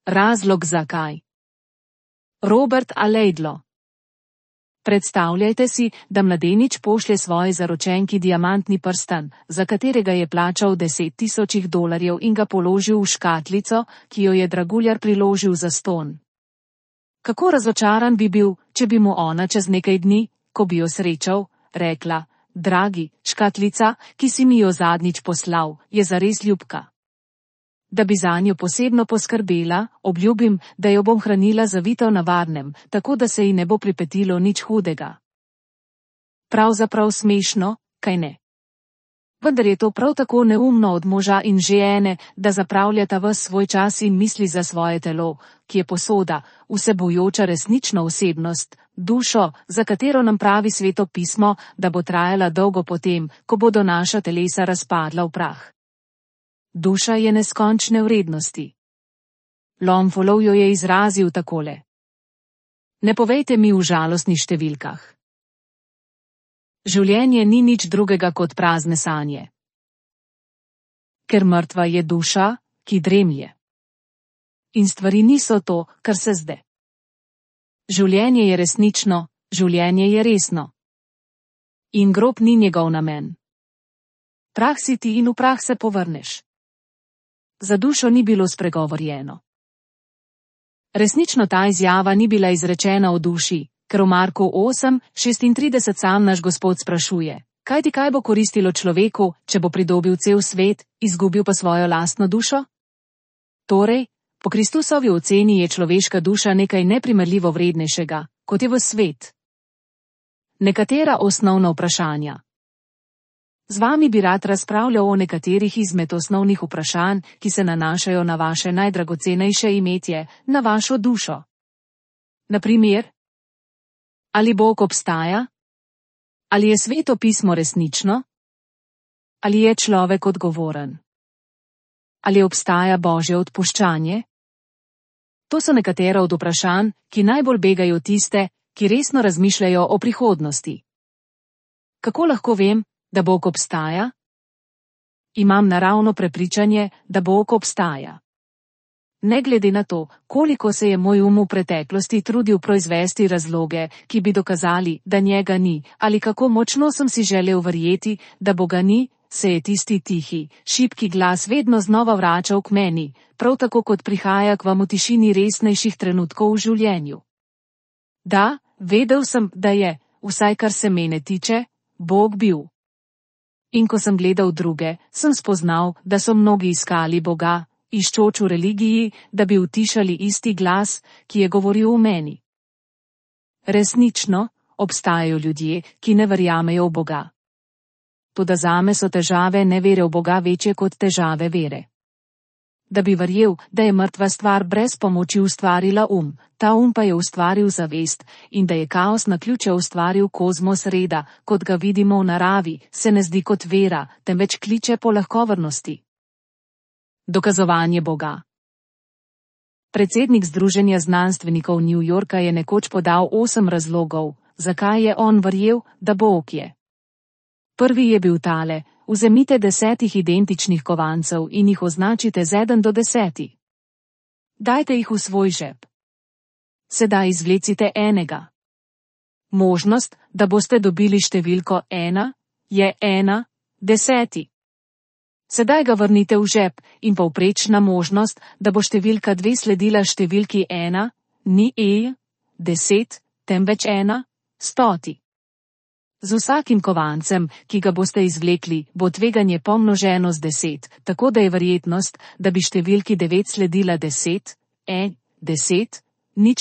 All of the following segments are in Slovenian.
Razlog zakaj. Robert Alaidlo. Predstavljajte si, da mladenič pošlje svoji zaročenki diamantni prstan, za katerega je plačal $10,000 in ga položil v škatlico, ki jo je draguljar priložil zastonj. Kako razočaran bi bil, če bi mu ona čez nekaj dni, ko bi jo srečal, rekla: dragi, škatlica, ki si mi jo zadnjič poslal, je zares ljubka. Da bi zanjo posebno poskrbela, obljubim, da jo bom hranila zavito na varnem, tako da se ji ne bo pripetilo nič hudega. Pravzaprav smešno, kajne? Vendar je to prav tako neumno od moža in žene, da zapravljata ves svoj čas in misli za svoje telo, ki je posoda, vsebujoča resnično osebnost, dušo, za katero nam pravi Sveto pismo, da bo trajala dolgo potem, ko bodo naša telesa razpadla v prah. Duša je neskončne vrednosti. Longfellow jo je izrazil takole: ne povejte mi v žalostnih številkah. Življenje ni nič drugega kot prazne sanje. Ker mrtva je duša, ki dremlje. In stvari niso to, kar se zde. Življenje je resnično, življenje je resno. In grob ni njegov namen. Prah si ti in v prah se povrneš. Za dušo ni bilo spregovorjeno. Resnično ta izjava ni bila izrečena v duši, ker v Marku 8:36 sam naš Gospod sprašuje: kaj ti kaj bo koristilo človeku, če bo pridobil cel svet, izgubil pa svojo lastno dušo? Torej, po Kristusovi oceni je človeška duša nekaj neprimerljivo vrednejšega, kot je v svet. Nekatera osnovna vprašanja. Z vami bi rad razpravljal o nekaterih izmed osnovnih vprašanj, ki se nanašajo na vaše najdragocenejše imetje, na vašo dušo. Na primer, ali Bog obstaja? Ali je Sveto pismo resnično? Ali je človek odgovoren? Ali obstaja Božje odpuščanje? To so nekatera od vprašanj, ki najbolj begajo tiste, ki resno razmišljajo o prihodnosti. Kako lahko vem, da Bog obstaja? Imam naravno prepričanje, da Bog obstaja. Ne glede na to, koliko se je moj v preteklosti trudil proizvesti razloge, ki bi dokazali, da njega ni, ali kako močno sem si želel verjeti, da Boga ni, se je tisti tihi, šibki glas vedno znova vračal k meni, prav tako kot prihaja k vam v tišini resnejših trenutkov v življenju. Da, vedel sem, da je, vsaj kar se mene tiče, Bog bil. In ko sem gledal druge, sem spoznal, da so mnogi iskali Boga, iščoč v religiji, da bi utišali isti glas, ki je govoril v meni. Resnično, obstajajo ljudje, ki ne verjamejo v Boga. Toda zame so težave nevere v Boga večje kot težave vere. Da bi verjel, da je mrtva stvar brez pomoči ustvarila ta pa je ustvaril zavest, in da je kaos naključje ustvaril kozmos reda, kot ga vidimo v naravi, se ne zdi kot vera, temveč kliče po lahkovernosti. Dokazovanje Boga. Predsednik Združenja znanstvenikov New Yorka je nekoč podal 8 razlogov, zakaj je on verjel, da Bog je. Prvi je bil tale: vzemite 10 identičnih kovancev in jih označite z 1 do 10. Dajte jih v svoj žep. Sedaj izvlecite enega. Možnost, da boste dobili številko 1, je 1, 10. Sedaj ga vrnite v žep in povprečna možnost, da bo številka 2 sledila številki 1, ni 10, temveč 1, 100. Z vsakim kovancem, ki ga boste izvlekli, bo tveganje pomnoženo z 10, tako da je verjetnost, da bi številki 9 sledila 10, 10, nič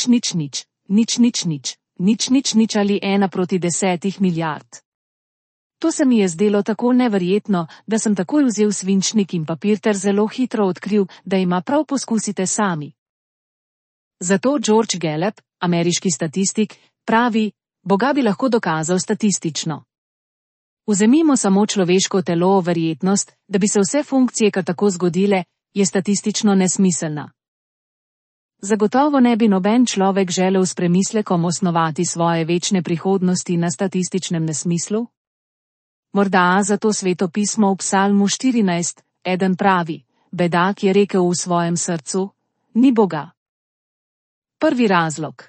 ali 1 proti 10 milijard. To se mi je zdelo tako neverjetno, da sem takoj vzel svinčnik in papir ter zelo hitro odkril, da ima prav, poskusite sami. Zato George Gallup, ameriški statistik, pravi: Boga bi lahko dokazal statistično. Vzemimo samo človeško telo, verjetnost, da bi se vse funkcije kar tako zgodile, je statistično nesmiselna. Zagotovo ne bi noben človek želel s premislekom osnovati svoje večne prihodnosti na statističnem nesmislu? Morda zato Sveto pismo v Psalmu 14:1 pravi: bedak je rekel v svojem srcu: ni Boga. Prvi razlog.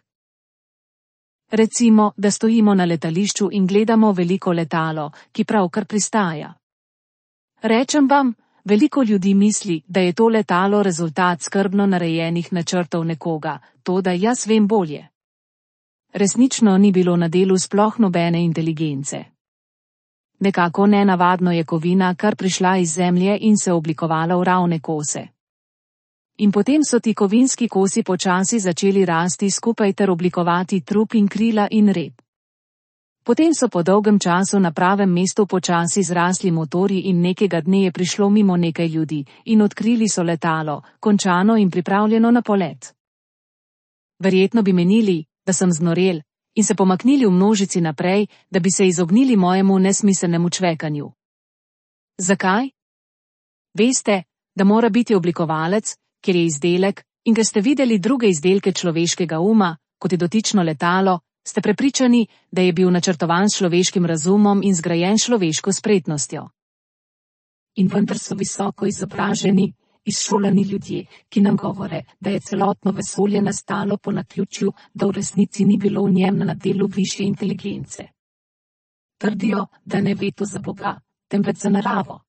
Recimo, da stojimo na letališču in gledamo veliko letalo, ki pravkar pristaja. Rečem vam, veliko ljudi misli, da je to letalo rezultat skrbno narejenih načrtov nekoga, toda jaz vem bolje. Resnično ni bilo na delu sploh nobene inteligence. Nekako nenavadno je kovina kar prišla iz zemlje in se oblikovala v ravne kose. In potem so ti kovinski kosi počasi začeli rasti skupaj ter oblikovati trup in krila in rep. Potem so po dolgem času na pravem mestu počasi zrasli motorji in nekega dne je prišlo mimo nekaj ljudi in odkrili so letalo, končano in pripravljeno na polet. Verjetno bi menili, da sem znorel, in se pomaknili v množici naprej, da bi se izognili mojemu nesmiselnemu čvekanju. Zakaj? Veste, da mora biti oblikovalec, ker je izdelek, in ker ste videli druge izdelke človeškega uma, kot je dotično letalo, ste prepričani, da je bil načrtovan s človeškim razumom in zgrajen človeško spretnostjo. In vendar so visoko izobraženi, izšolani ljudje, ki nam govore, da je celotno vesolje nastalo po naključju, da v resnici ni bilo v njem na delu višje inteligence. Trdijo, da ne ve to za Boga, temveč za naravo.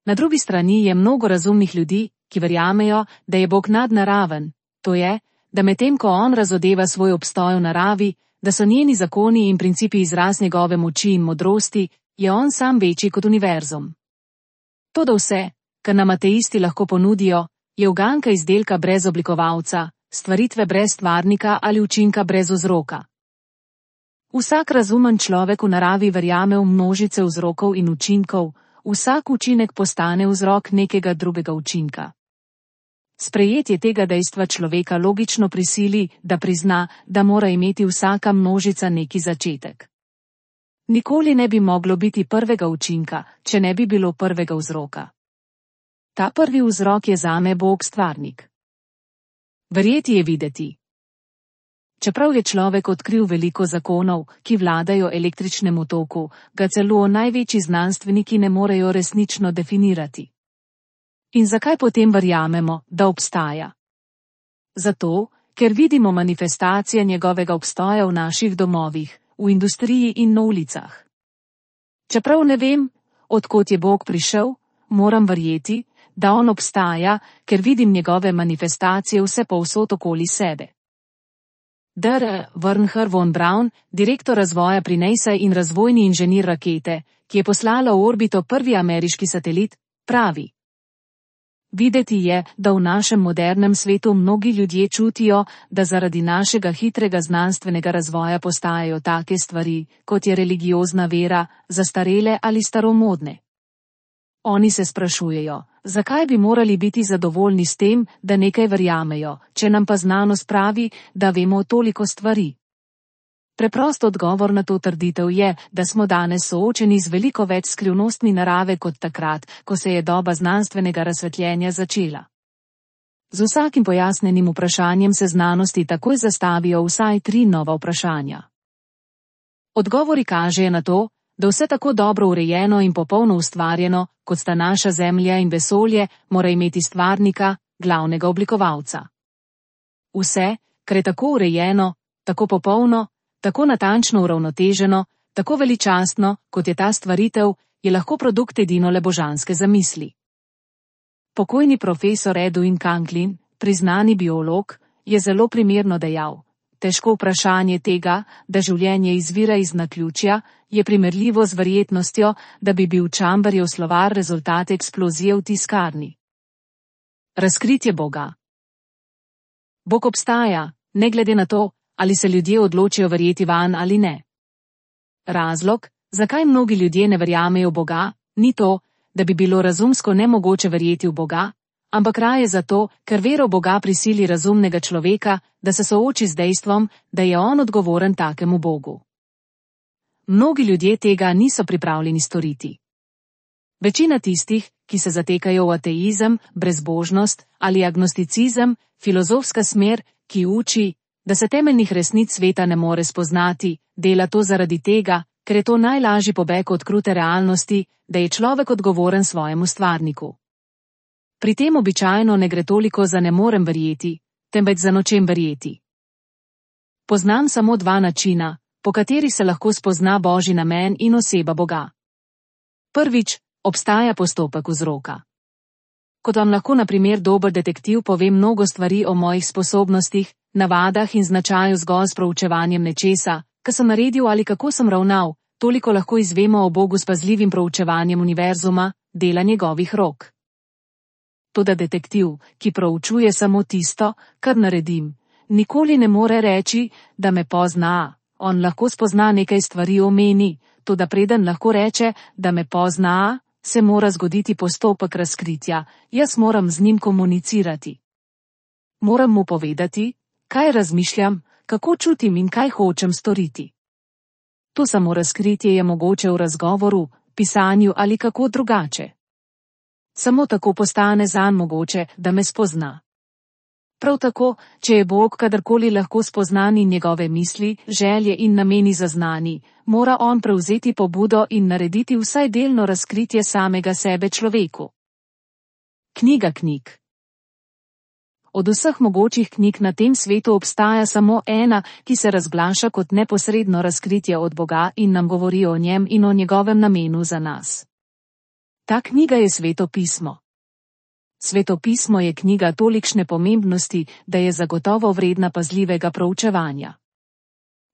Na drugi strani je mnogo razumnih ljudi, ki verjamejo, da je Bog nadnaraven, to je, da medtem ko on razodeva svoj obstoj v naravi, da so njeni zakoni in principi izraz njegove moči in modrosti, je on sam večji kot univerzum. Toda vse, kar nam ateisti lahko ponudijo, je uganka izdelka brez oblikovalca, stvaritve brez stvarnika ali učinka brez vzroka. Vsak razumen človek v naravi verjame v množice vzrokov in učinkov, vsak učinek postane vzrok nekega drugega učinka. Sprejetje tega dejstva človeka logično prisili, da prizna, da mora imeti vsaka množica neki začetek. Nikoli ne bi moglo biti prvega učinka, če ne bi bilo prvega vzroka. Ta prvi vzrok je zame Bog stvarnik. Verjeti je videti. Čeprav je človek odkril veliko zakonov, ki vladajo električnemu toku, ga celo največji znanstveniki ne morejo resnično definirati. In zakaj potem verjamemo, da obstaja? Zato, ker vidimo manifestacije njegovega obstoja v naših domovih, v industriji in na ulicah. Čeprav ne vem, od kod je Bog prišel, moram verjeti, da on obstaja, ker vidim njegove manifestacije vse povsod okoli sebe. Dr. Wernher von Braun, direktor razvoja pri NASA in razvojni inženir rakete, ki je poslala v orbito prvi ameriški satelit, pravi: Videti je, da v našem modernem svetu mnogi ljudje čutijo, da zaradi našega hitrega znanstvenega razvoja postajajo take stvari, kot je religiozna vera, zastarele ali staromodne. Oni se sprašujejo, zakaj bi morali biti zadovoljni s tem, da nekaj verjamejo, če nam pa znanost pravi, da vemo toliko stvari. Preprost odgovor na to trditev je, da smo danes soočeni z veliko več skrivnostmi narave kot takrat, ko se je doba znanstvenega razsvetljenja začela. Z vsakim pojasnenim vprašanjem se znanosti takoj zastavijo vsaj 3 nova vprašanja. Odgovori kažejo na to, da vse tako dobro urejeno in popolno ustvarjeno, kot sta naša Zemlja in vesolje, mora imeti stvarnika, glavnega oblikovalca. Vse, kar je tako urejeno, tako popolno, tako natančno uravnoteženo, tako veličastno, kot je ta stvaritev, je lahko produkt edino le božanske zamisli. Pokojni profesor Edwin Conklin, priznani biolog, je zelo primerno dejal: težko vprašanje tega, da življenje izvira iz naključja, je primerljivo z verjetnostjo, da bi bil Chamberjev slovar rezultat eksplozije v tiskarni. Razkritje Boga. Bog obstaja, ne glede na to, ali se ljudje odločijo verjeti vanj ali ne. Razlog, zakaj mnogi ljudje ne verjamejo v Boga, ni to, da bi bilo razumsko nemogoče verjeti v Boga, ampak raje zato, ker vero v Boga prisili razumnega človeka, da se sooči z dejstvom, da je on odgovoren takemu Bogu. Mnogi ljudje tega niso pripravljeni storiti. Večina tistih, ki se zatekajo v ateizem, brezbožnost ali agnosticizem, filozofska smer, ki uči, da se temeljnih resnic sveta ne more spoznati, dela to zaradi tega, ker je to najlažji pobeg od krute realnosti, da je človek odgovoren svojemu stvarniku. Pri tem običajno ne gre toliko za ne morem verjeti, temveč za nočem verjeti. Poznam samo dva načina, po kateri se lahko spozna Božji namen in oseba Boga. Prvič, obstaja postopek vzroka. Kot vam lahko na primer dober detektiv pove mnogo stvari o mojih sposobnostih, navadah in značaju zgolj s proučevanjem nečesa, kar sem naredil ali kako sem ravnal, toliko lahko izvemo o Bogu s pazljivim proučevanjem univerzuma, dela njegovih rok. Toda detektiv, ki proučuje samo tisto, kar naredim, nikoli ne more reči, da me pozna. On lahko spozna nekaj stvari o meni, toda preden lahko reče, da me pozna, se mora zgoditi postopek razkritja, jaz moram z njim komunicirati. Moram mu povedati, kaj razmišljam, kako čutim in kaj hočem storiti. To samo razkritje je mogoče v razgovoru, pisanju ali kako drugače. Samo tako postane zanj mogoče, da me spozna. Prav tako, če je Bog kadarkoli lahko spoznan in njegove misli, želje in nameni zaznani, mora on prevzeti pobudo in narediti vsaj delno razkritje samega sebe človeku. Knjiga knjig. Od vseh mogočih knjig na tem svetu obstaja samo ena, ki se razglaša kot neposredno razkritje od Boga in nam govori o njem in o njegovem namenu za nas. Ta knjiga je Sveto pismo. Sveto pismo je knjiga tolikšne pomembnosti, da je zagotovo vredna pazljivega proučevanja.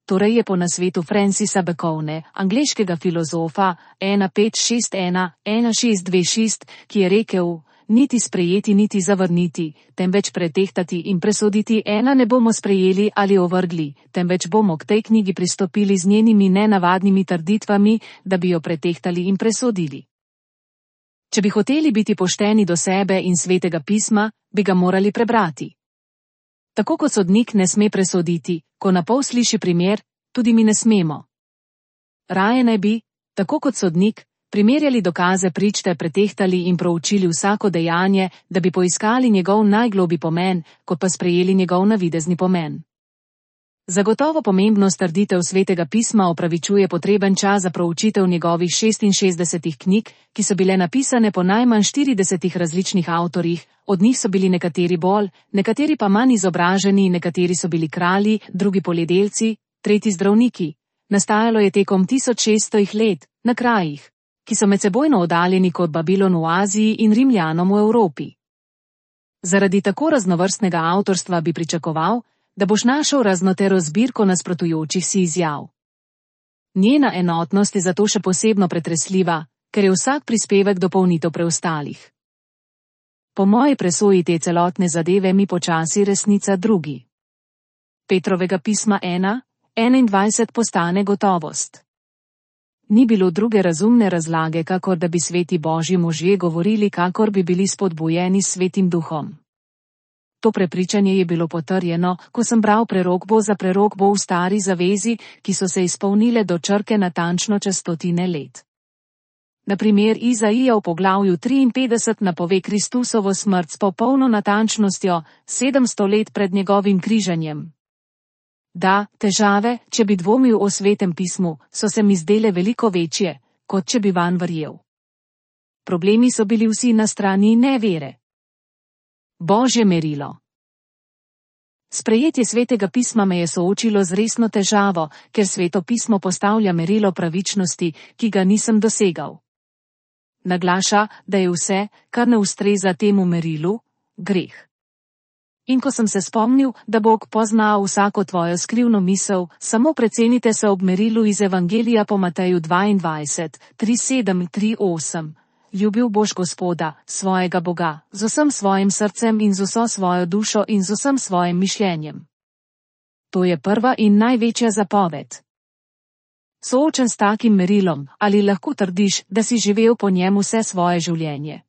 Torej je po nasvetu Francisa Bacone, angleškega filozofa 1561-1626, ki je rekel, niti sprejeti niti zavrniti, temveč pretehtati in presoditi ne bomo sprejeli ali ovrgli, temveč bomo k tej knjigi pristopili z njenimi nenavadnimi trditvami, da bi jo pretehtali in presodili. Če bi hoteli biti pošteni do sebe in Svetega pisma, bi ga morali prebrati. Tako kot sodnik ne sme presoditi, ko na pol sliši primer, tudi mi ne smemo. Raje naj bi, tako kot sodnik, primerjali dokaze prič ter pretehtali in proučili vsako dejanje, da bi poiskali njegov najgloblji pomen, kot pa sprejeli njegov navidezni pomen. Zagotovo pomembnost trditev Svetega pisma opravičuje potreben čas za proučitev njegovih 66 knjig, ki so bile napisane po najmanj 40 različnih avtorjih, od njih so bili nekateri bolj, nekateri pa manj izobraženi, nekateri so bili kralji, drugi poljedelci, tretji zdravniki. Nastajalo je tekom 1600 let, na krajih, ki so medsebojno oddaljeni kot Babilon v Aziji in Rimljanom v Evropi. Zaradi tako raznovrstnega avtorstva bi pričakoval, da boš našel raznotero zbirko nasprotujočih si izjav. Njena enotnost je zato še posebno pretresljiva, ker je vsak prispevek dopolnitev preostalih. Po moji presoji te celotne zadeve mi počasi resnica drugi. Petrovega pisma 1:21 postane gotovost. Ni bilo druge razumne razlage, kakor da bi sveti Božji možje govorili, kakor bi bili spodbujeni s Svetim duhom. To prepričanje je bilo potrjeno, ko sem bral prerokbo za prerokbo v stari zavezi, ki so se izpolnile do črke natančno čez 100 let. Na primer Izaija v poglavju 53 napove Kristusovo smrt s popolno natančnostjo 700 let pred njegovim križanjem. Da, težave, če bi dvomil o Svetem pismu, so se mi zdele veliko večje, kot če bi vanj verjel. Problemi so bili vsi na strani nevere. Božje merilo. Sprejetje Svetega pisma me je soočilo z resno težavo, ker Sveto pismo postavlja merilo pravičnosti, ki ga nisem dosegal. Naglaša, da je vse, kar ne ustreza temu merilu, greh. In ko sem se spomnil, da Bog pozna vsako tvojo skrivno misel, samo precenite se ob merilu iz Evangelija po Mateju 22:37-38. Ljubil boš Gospoda, svojega Boga, z vsem svojim srcem in z vso svojo dušo in z vsem svojim mišljenjem. To je prva in največja zapoved. Soočen s takim merilom, ali lahko trdiš, da si živel po njem vse svoje življenje?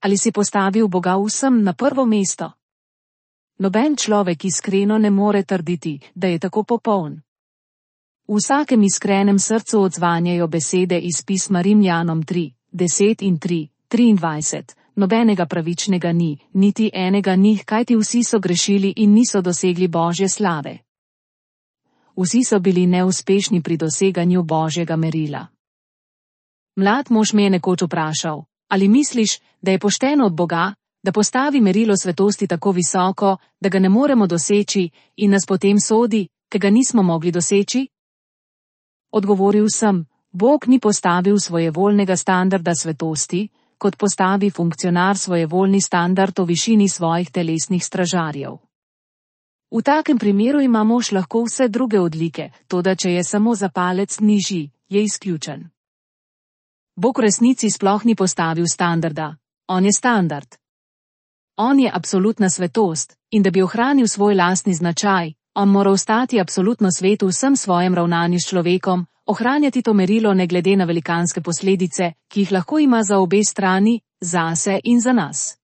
Ali si postavil Boga vsem na prvo mesto? Noben človek iskreno ne more trditi, da je tako popoln. V vsakem iskrenem srcu odzvanjajo besede iz pisma Rimljanom 3:10-23, nobenega pravičnega ni, niti enega njih, kajti vsi so grešili in niso dosegli Božje slave. Vsi so bili neuspešni pri doseganju Božjega merila. Mlad mož me je nekoč vprašal, Ali misliš, da je pošteno od Boga, da postavi merilo svetosti tako visoko, da ga ne moremo doseči in nas potem sodi, ker ga nismo mogli doseči? Odgovoril sem, Bog ni postavil svojevoljnega standarda svetosti, kot postavi funkcionar svojevoljni standard o višini svojih telesnih stražarjev. V takem primeru ima mož lahko vse druge odlike, toda če je samo za palec nižji, je izključen. Bog v resnici sploh ni postavil standarda, on je standard. On je absolutna svetost, in da bi ohranil svoj lastni značaj, on mora ostati absolutno svet v vsem svojem ravnanju s človekom, ohranjati to merilo ne glede na velikanske posledice, ki jih lahko ima za obe strani, zase in za nas.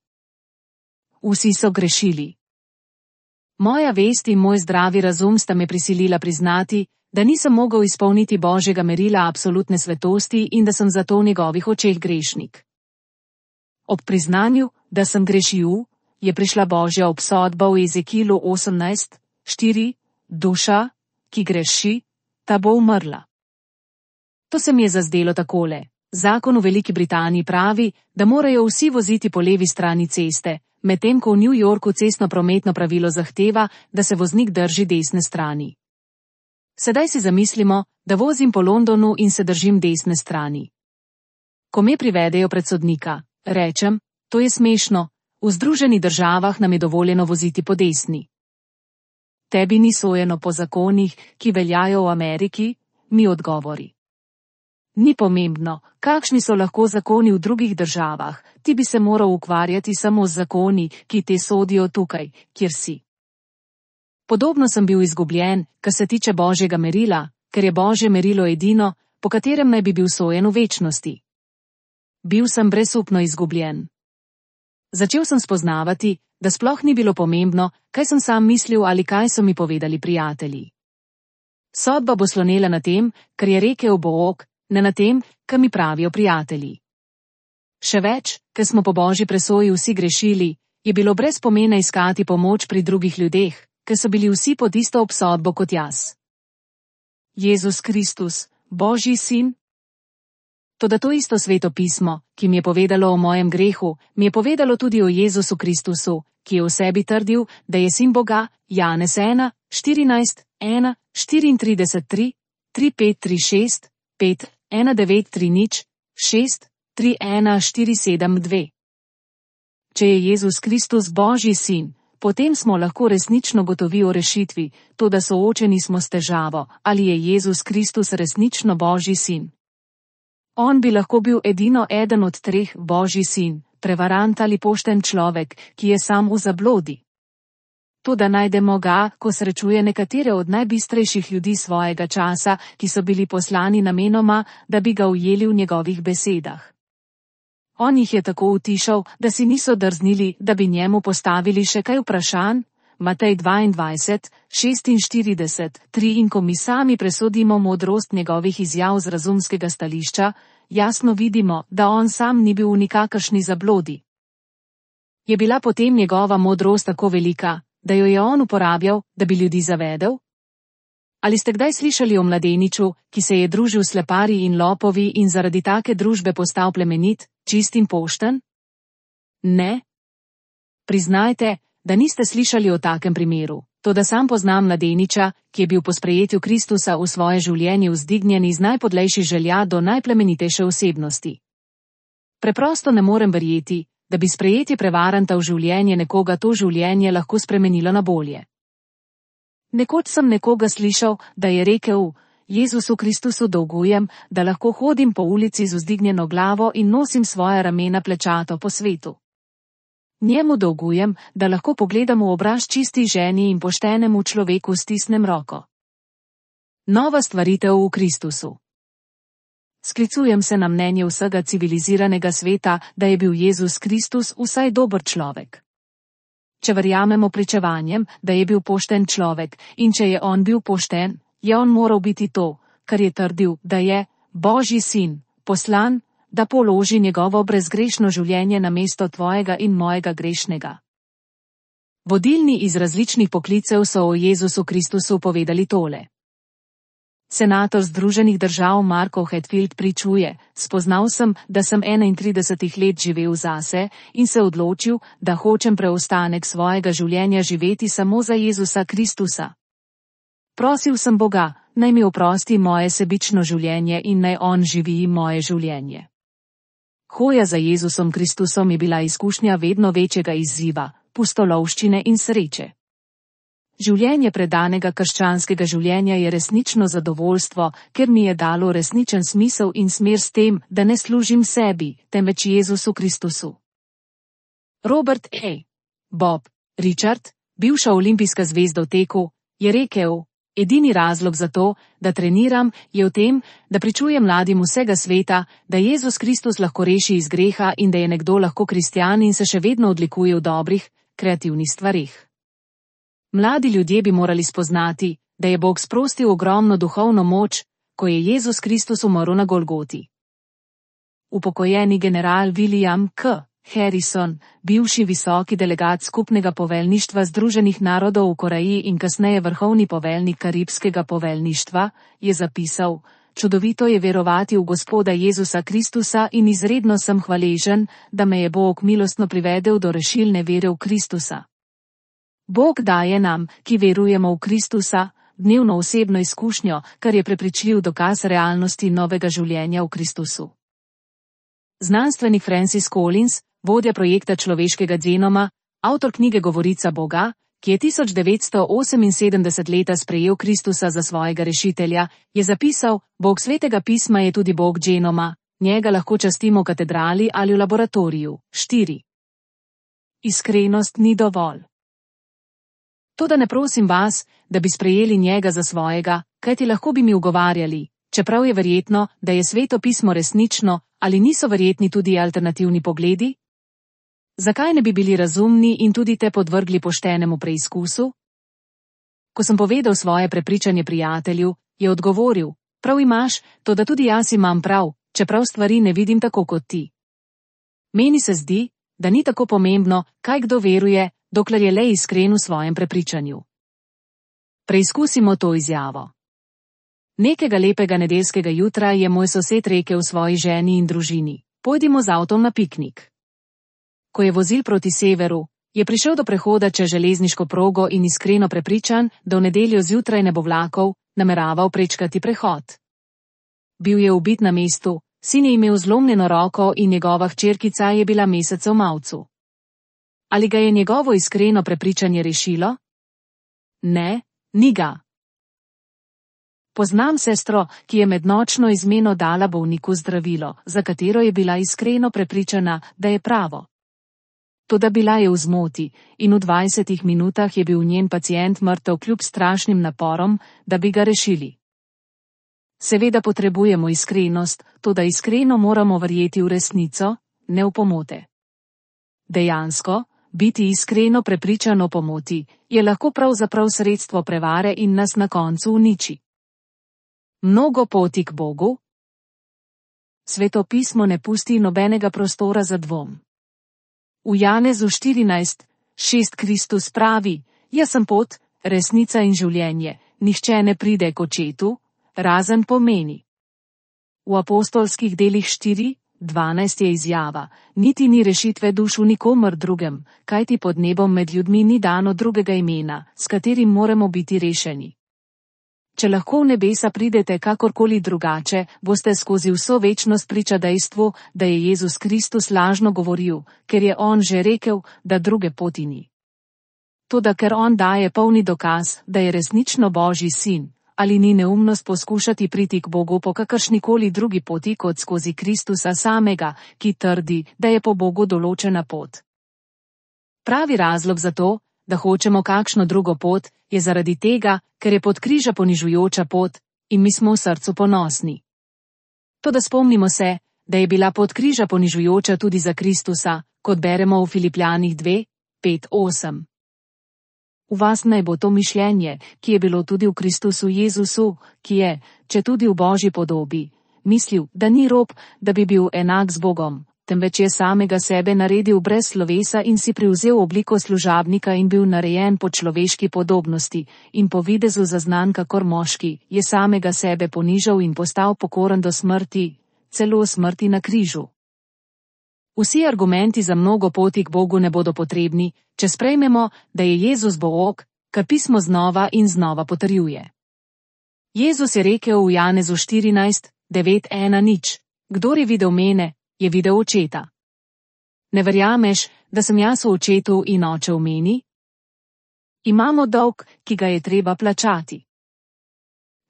Vsi so grešili. Moja vest in moj zdravi razum sta me prisilila priznati, da nisem mogel izpolniti Božjega merila absolutne svetosti in da sem zato v njegovih očeh grešnik. Ob priznanju, da sem grešil, je prišla Božja obsodba v Ezekilu 18:4, duša, ki greši, ta bo umrla. To se mi je zazdelo takole. Zakon v Veliki Britaniji pravi, da morajo vsi voziti po levi strani ceste, medtem ko v New Yorku cestno-prometno pravilo zahteva, da se voznik drži desne strani. Sedaj si zamislimo, da vozim po Londonu in se držim desne strani. Ko me privedejo pred sodnika, rečem, to je smešno, v Združenih državah nam je dovoljeno voziti po desni. Tebi ni sojeno po zakonih, ki veljajo v Ameriki, mi odgovori. Ni pomembno, kakšni so lahko zakoni v drugih državah, ti bi se moral ukvarjati samo z zakoni, ki te sodijo tukaj, kjer si. Podobno sem bil izgubljen, kar se tiče Božjega merila, ker je Božje merilo edino, po katerem naj bi bil sojen v večnosti. Bil sem brezupno izgubljen. Začel sem spoznavati, da sploh ni bilo pomembno, kaj sem sam mislil ali kaj so mi povedali prijatelji. Sodba bo slonela na tem, kar je rekel Bog, ne na tem, kar mi pravijo prijatelji. Še več, ker smo po Božji presoji vsi grešili, je bilo brez pomena iskati pomoč pri drugih ljudeh, ker so bili vsi pod isto obsodbo kot jaz. Jezus Kristus, Božji sin? Toda to isto Sveto pismo, ki mi je povedalo o mojem grehu, mi je povedalo tudi o Jezusu Kristusu, ki je v sebi trdil, da je sin Boga, Janez 1, 14, 1, 34, 3, 3, 5, 3, 6, 5, 1, 9, 3, nič, 6, 3, 1, 4, 7, 2. Če je Jezus Kristus Božji sin, potem smo lahko resnično gotovi o rešitvi, toda soočeni smo s težavo, ali je Jezus Kristus resnično Božji sin. On bi lahko bil edino eden od treh Božji sin, prevarant ali pošten človek, ki je sam v zablodi. Toda najdemo ga, ko srečuje nekatere od najbistrejših ljudi svojega časa, ki so bili poslani namenoma, da bi ga ujeli v njegovih besedah. On jih je tako utišal, da si niso drznili, da bi njemu postavili še kaj vprašanj. Matej 22, 46, 3 in ko mi sami presodimo modrost njegovih izjav z razumskega stališča, jasno vidimo, da on sam ni bil v nikakršni zablodi. Je bila potem njegova modrost tako velika, da jo je on uporabljal, da bi ljudi zavedel? Ali ste kdaj slišali o mladeniču, ki se je družil s sleparji in lopovi in zaradi take družbe postal plemenit, čist in pošten? Ne. Priznajte, da niste slišali o takem primeru, toda sam poznam mladeniča, ki je bil po sprejetju Kristusa v svoje življenje vzdignjen iz najpodlejših želja do najplemenitejše osebnosti. Preprosto ne morem verjeti, da bi sprejetje prevaranta v življenje nekoga to življenje lahko spremenilo na bolje. Nekoč sem nekoga slišal, da je rekel, Jezusu Kristusu dolgujem, da lahko hodim po ulici z vzdignjeno glavo in nosim svoja ramena plečato po svetu. Njemu dolgujem, da lahko pogledam v obraz čisti ženi in poštenemu človeku stisnem roko. Nova stvaritev v Kristusu. Sklicujem se na mnenje vsega civiliziranega sveta, da je bil Jezus Kristus vsaj dober človek. Če verjamemo pričevanjem, da je bil pošten človek, in če je on bil pošten, je on moral biti to, kar je trdil, da je Božji sin, poslan, da položi njegovo brezgrešno življenje na mesto tvojega in mojega grešnega. Vodilni iz različnih poklicev so o Jezusu Kristusu povedali tole. Senator Združenih držav Marko Hatfield pričuje: spoznal sem, da sem 31 let živel zase in se odločil, da hočem preostanek svojega življenja živeti samo za Jezusa Kristusa. Prosil sem Boga, naj mi oprosti moje sebično življenje in naj On živi moje življenje. Hoja za Jezusom Kristusom je bila izkušnja vedno večjega izziva, pustolovščine in sreče. Življenje predanega krščanskega življenja je resnično zadovoljstvo, ker mi je dalo resničen smisel in smer s tem, da ne služim sebi, temveč Jezusu Kristusu. Robert A. Bob Richard, bivša olimpijska zvezda v teku, je rekel: edini razlog za to, da treniram, je v tem, da pričujem mladim vsega sveta, da Jezus Kristus lahko reši iz greha in da je nekdo lahko kristjan in se še vedno odlikuje v dobrih, kreativnih stvarih. Mladi ljudje bi morali spoznati, da je Bog sprostil ogromno duhovno moč, ko je Jezus Kristus umrl na Golgoti. Upokojeni general William K. Harrison, bivši visoki delegat skupnega poveljništva Združenih narodov v Koreji in kasneje vrhovni poveljnik Karibskega poveljništva, je zapisal: čudovito je verovati v Gospoda Jezusa Kristusa in izredno sem hvaležen, da me je Bog milostno privedel do rešilne vere v Kristusa. Bog daje nam, ki verujemo v Kristusa, dnevno osebno izkušnjo, kar je prepričljiv dokaz realnosti novega življenja v Kristusu. Znanstvenik Francis Collins, vodja projekta človeškega genoma, avtor knjige Govorica Boga, ki je 1978 leta sprejel Kristusa za svojega rešitelja, je zapisal: Bog svetega pisma je tudi Bog genoma, njega lahko častimo v katedrali ali v laboratoriju. 4. Iskrenost ni dovolj. Toda ne prosim vas, da bi sprejeli njega za svojega, kajti lahko bi mi ugovarjali, čeprav je verjetno, da je sveto pismo resnično, ali niso verjetni tudi alternativni pogledi? Zakaj ne bi bili razumni in tudi te podvrgli poštenemu preizkusu? Ko sem povedal svoje prepričanje prijatelju, je odgovoril: prav imaš, toda tudi jaz imam prav, čeprav stvari ne vidim tako kot ti. Meni se zdi, da ni tako pomembno, kaj kdo veruje, dokler je le iskren v svojem prepričanju. Preizkusimo to izjavo. Nekega lepega nedeljskega jutra je moj sosed rekel svoji ženi in družini: pojdimo z avtom na piknik. Ko je vozil proti severu, je prišel do prehoda čez železniško progo in iskreno prepričan, da v nedeljo zjutraj ne bo vlakov, nameraval prečkati prehod. Bil je ubit na mestu, sin je imel zlomljeno roko in njegova hčerkica je bila mesec v mavcu. Ali ga je njegovo iskreno prepričanje rešilo? Ne, ni ga. Poznam sestro, ki je med nočno izmeno dala bolniku zdravilo, za katero je bila iskreno prepričana, da je pravo. Toda bila je v zmoti in v 20 minutah je bil njen pacient mrtev kljub strašnim naporom, da bi ga rešili. Seveda potrebujemo iskrenost, toda iskreno moramo verjeti v resnico, ne v pomote. Dejansko, biti iskreno prepričan o pomoti, je lahko pravzaprav sredstvo prevare in nas na koncu uniči. Mnogo poti k Bogu? Sveto pismo ne pusti nobenega prostora za dvom. V Janezu 14:6 Kristus pravi: jaz sem pot, resnica in življenje, nihče ne pride k očetu, razen po meni. V apostolskih delih 4:12 je izjava: niti ni rešitve duš v nikomer drugem, kajti pod nebom med ljudmi ni dano drugega imena, s katerim moramo biti rešeni. Če lahko v nebesa pridete kakorkoli drugače, boste skozi vso večnost priča dejstvu, da je Jezus Kristus lažno govoril, ker je on že rekel, da druge poti ni. Toda ker on daje polni dokaz, da je resnično Božji sin, ali ni neumnost poskušati priti k Bogu po kakršnikoli drugi poti kot skozi Kristusa samega, ki trdi, da je po Bogu določena pot. Pravi razlog za to, da hočemo kakšno drugo pot, je zaradi tega, ker je pod križa ponižujoča pot, in mi smo v srcu ponosni. Toda spomnimo se, da je bila pot križa ponižujoča tudi za Kristusa, kot beremo v Filipljanih 2:5-8. V vas naj bo to mišljenje, ki je bilo tudi v Kristusu Jezusu, ki je, če tudi v Božji podobi, mislil, da ni rob, da bi bil enak z Bogom, temveč je samega sebe naredil brez slovesa in si privzel obliko služabnika in bil narejen po človeški podobnosti, in po videzu zaznan kakor moški, je samega sebe ponižal in postal pokoren do smrti, celo smrti na križu. Vsi argumenti za mnogo poti k Bogu ne bodo potrebni, če sprejmemo, da je Jezus Bog, kar pismo znova in znova potrjuje. Jezus je rekel v Janezu 14:9:1: Kdor je videl mene, je videl očeta. Ne verjameš, da sem jaz v očetu in oče v meni? Imamo dolg, ki ga je treba plačati.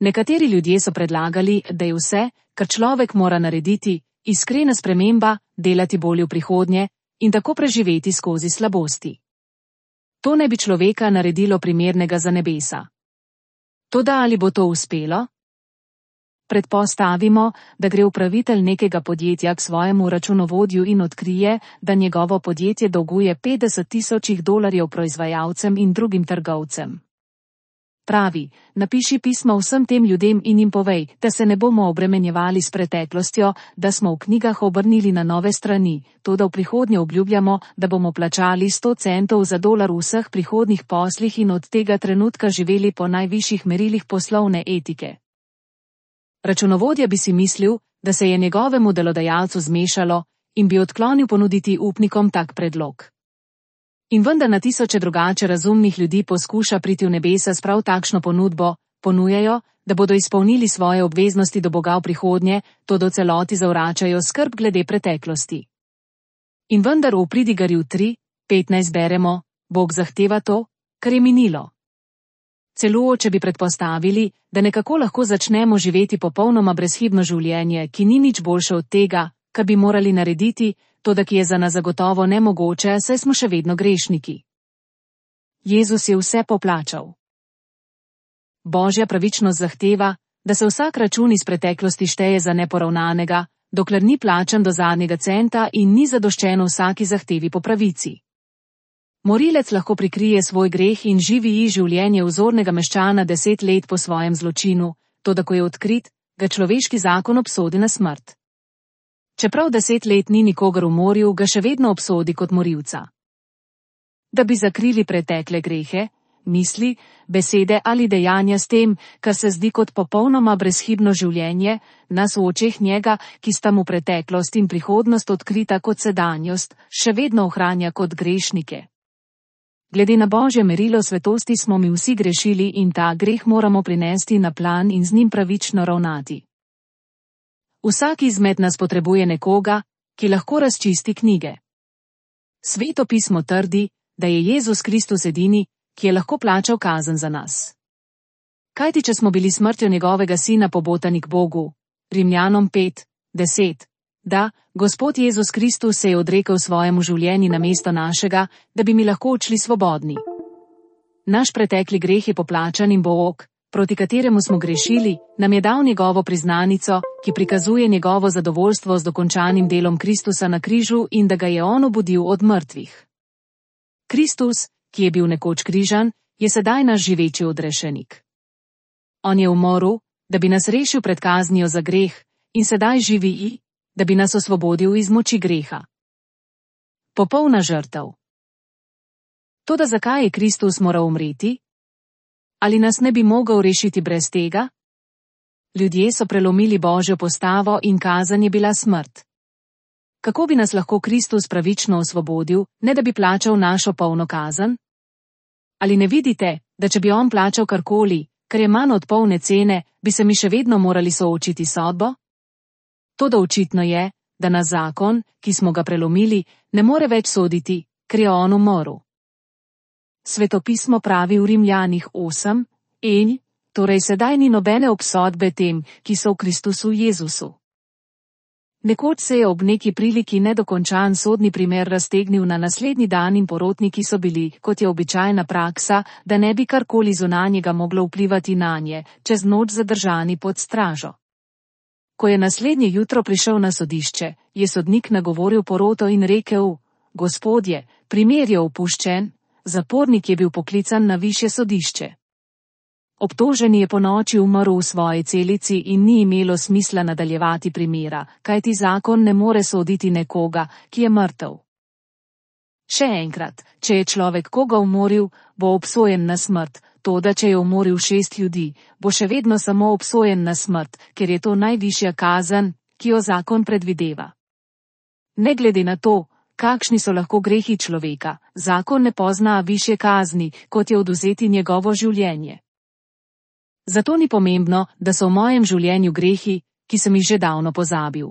Nekateri ljudje so predlagali, da je vse, kar človek mora narediti, iskrena sprememba, delati bolje v prihodnje in tako preživeti skozi slabosti. To ne bi človeka naredilo primernega za nebesa. Toda ali bo to uspelo? Predpostavimo, da gre upravitelj nekega podjetja k svojemu računovodju in odkrije, da njegovo podjetje dolguje $50,000 proizvajalcem in drugim trgovcem. Pravi, napiši pismo vsem tem ljudem in jim povej, da se ne bomo obremenjevali s preteklostjo, da smo v knjigah obrnili na nove strani, toda v prihodnje obljubljamo, da bomo plačali 100 centov za dolar v vseh prihodnih poslih in od tega trenutka živeli po najvišjih merilih poslovne etike. Računovodja bi si mislil, da se je njegovemu delodajalcu zmešalo in bi odklonil ponuditi upnikom tak predlog. In vendar na tisoče drugače razumnih ljudi poskuša priti v nebesa s prav takšno ponudbo, ponujajo, da bodo izpolnili svoje obveznosti do Boga v prihodnje, to do celoti zavračajo skrb glede preteklosti. In vendar v Pridigarju 3:15 beremo, Bog zahteva to, kar je minilo. Celo če bi predpostavili, da nekako lahko začnemo živeti popolnoma brezhibno življenje, ki ni nič boljše od tega, kar bi morali narediti, toda ki je za nas zagotovo nemogoče, saj smo še vedno grešniki. Jezus je vse poplačal. Božja pravičnost zahteva, da se vsak račun iz preteklosti šteje za neporavnanega, dokler ni plačan do zadnjega centa in ni zadoščeno vsaki zahtevi po pravici. Morilec lahko prikrije svoj greh in živi življenje vzornega meščana 10 let po svojem zločinu, toda ko je odkrit, ga človeški zakon obsodi na smrt. Čeprav 10 let ni nikogar umoril, ga še vedno obsodi kot morilca. Da bi zakrili pretekle grehe, misli, besede ali dejanja s tem, kar se zdi kot popolnoma brezhibno življenje, nas v očeh njega, ki sta mu preteklost in prihodnost odkrita kot sedanjost, še vedno ohranja kot grešnike. Glede na Božje merilo svetosti smo mi vsi grešili in ta greh moramo prinesti na plan in z njim pravično ravnati. Vsak izmed nas potrebuje nekoga, ki lahko razčisti knjige. Sveto pismo trdi, da je Jezus Kristus edini, ki je lahko plačal kazen za nas. Kajti če smo bili smrtjo njegovega sina pobotani k Bogu, Rimljanom 5:10, da, Gospod Jezus Kristus se je odrekel svojemu življenju namesto našega, da bi mi lahko odšli svobodni. Naš pretekli greh je poplačan in Bog, proti kateremu smo grešili, nam je dal njegovo priznanico, ki prikazuje njegovo zadovoljstvo z dokončanim delom Kristusa na križu in da ga je on obudil od mrtvih. Kristus, ki je bil nekoč križan, je sedaj naš živeči odrešenik. On je umoril, da bi nas rešil pred kaznijo za greh, in sedaj živi, da bi nas osvobodil iz moči greha. Popolna žrtev. Toda zakaj je Kristus moral umreti? Ali nas ne bi mogel rešiti brez tega? Ljudje so prelomili Božjo postavo in kazen je bila smrt. Kako bi nas lahko Kristus pravično osvobodil, ne da bi plačal našo polno kazen? Ali ne vidite, da če bi on plačal karkoli, kar je manj od polne cene, bi se mi še vedno morali soočiti sodbo? Toda očitno je, da nas zakon, ki smo ga prelomili, ne more več soditi, ker je on umoril. Svetopismo pravi v Rimljanih 8:1, torej sedaj ni nobene obsodbe tem, ki so v Kristusu Jezusu. Nekoč se je ob neki priliki nedokončan sodni primer raztegnil na naslednji dan in porotniki so bili, kot je običajna praksa, da ne bi karkoli zunanjega moglo vplivati nanje, čez noč zadržani pod stražo. Ko je naslednje jutro prišel na sodišče, je sodnik nagovoril poroto in rekel: Gospodje, primer je opuščen, zapornik je bil poklican na višje sodišče. Obtoženi je ponoči umrl v svoji celici in ni imelo smisla nadaljevati primera, kajti zakon ne more soditi nekoga, ki je mrtev. Še enkrat, če je človek koga umoril, bo obsojen na smrt, toda če je umoril 6 ljudi, bo še vedno samo obsojen na smrt, ker je to najvišja kazen, ki jo zakon predvideva. Ne glede na to, kakšni so lahko grehi človeka, zakon ne pozna višje kazni, kot je odvzeti njegovo življenje. Zato ni pomembno, da so v mojem življenju grehi, ki sem jih že davno pozabil.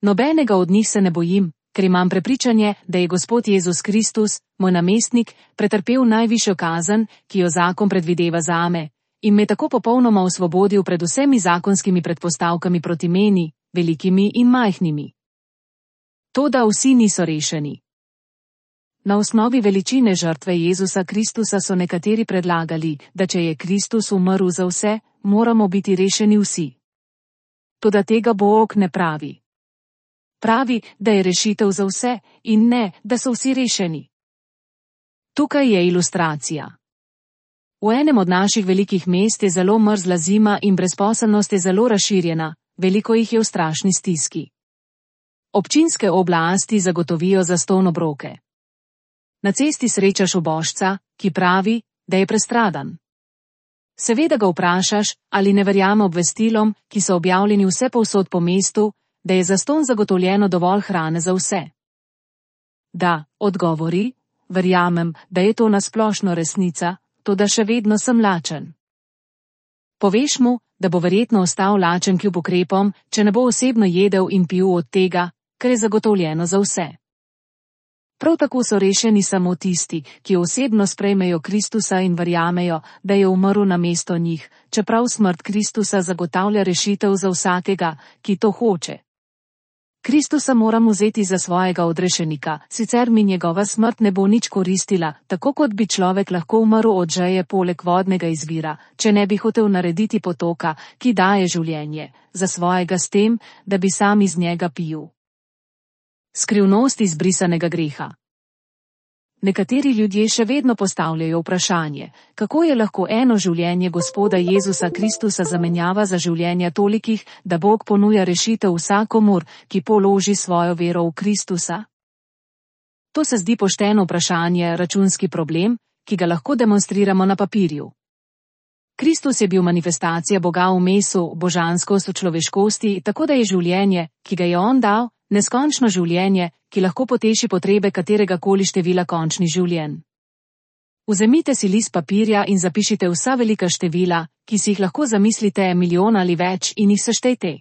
Nobenega od njih se ne bojim, ker imam prepričanje, da je Gospod Jezus Kristus, moj namestnik, pretrpel najvišjo kazen, ki jo zakon predvideva zame, in me tako popolnoma osvobodil pred vsemi zakonskimi predpostavkami proti meni, velikimi in majhnimi. Toda vsi niso rešeni. Na osnovi veličine žrtve Jezusa Kristusa so nekateri predlagali, da če je Kristus umrl za vse, moramo biti rešeni vsi. Toda tega Bog ne pravi. Pravi, da je rešitev za vse in ne, da so vsi rešeni. Tukaj je ilustracija. V enem od naših velikih mest je zelo mrzla zima in brezposelnost je zelo razširjena, veliko jih je v strašni stiski. Občinske oblasti zagotovijo zastonj obroke. Na cesti srečaš ubožca, ki pravi, da je prestradan. Seveda ga vprašaš, ali ne verjame obvestilom, ki so objavljeni vsepovsod po mestu, da je zastonj zagotovljeno dovolj hrane za vse. Da, odgovori, verjamem, da je to nasplošno resnica, toda še vedno sem lačen. Poveš mu, da bo verjetno ostal lačen kljub ukrepom, če ne bo osebno jedel in pil od tega, kar je zagotovljeno za vse. Prav tako so rešeni samo tisti, ki osebno sprejmejo Kristusa in verjamejo, da je umrl namesto njih, čeprav smrt Kristusa zagotavlja rešitev za vsakega, ki to hoče. Kristusa moram vzeti za svojega odrešenika, sicer mi njegova smrt ne bo nič koristila, tako kot bi človek lahko umrl od žeje poleg vodnega izvira, če ne bi hotel narediti potoka, ki daje življenje, za svojega s tem, da bi sam iz njega pil. Skrivnost izbrisanega greha. Nekateri ljudje še vedno postavljajo vprašanje, kako je lahko eno življenje Gospoda Jezusa Kristusa zamenjava za življenja tolikih, da Bog ponuja rešitev vsakomur, ki položi svojo vero v Kristusa? To se zdi pošteno vprašanje, računski problem, ki ga lahko demonstriramo na papirju. Kristus je bil manifestacija Boga v mesu, božanskost v človeškosti, tako da je življenje, ki ga je on dal, neskončno življenje, ki lahko poteši potrebe katerega koli števila končnih življenj. Vzemite si list papirja in zapišite vsa velika števila, ki si jih lahko zamislite milijon ali več in jih seštejte.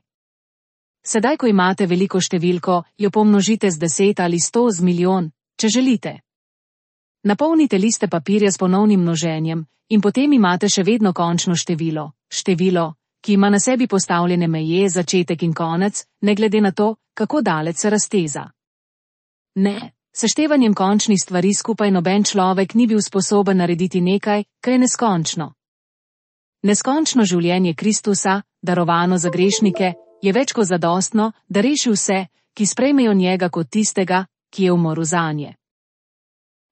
Sedaj, ko imate veliko številko, jo pomnožite z 10 ali 100 z milijon, če želite. Napolnite liste papirja s ponovnim množenjem in potem imate še vedno končno število, ki ima na sebi postavljene meje, začetek in konec, ne glede na to, kako daleč se razteza. Ne, seštevanjem končnih stvari skupaj noben človek ni bil sposoben narediti nekaj, kar je neskončno. Neskončno življenje Kristusa, darovano za grešnike, je več kot zadostno, da reši vse, ki sprejmejo njega kot tistega, ki je umrl zanje.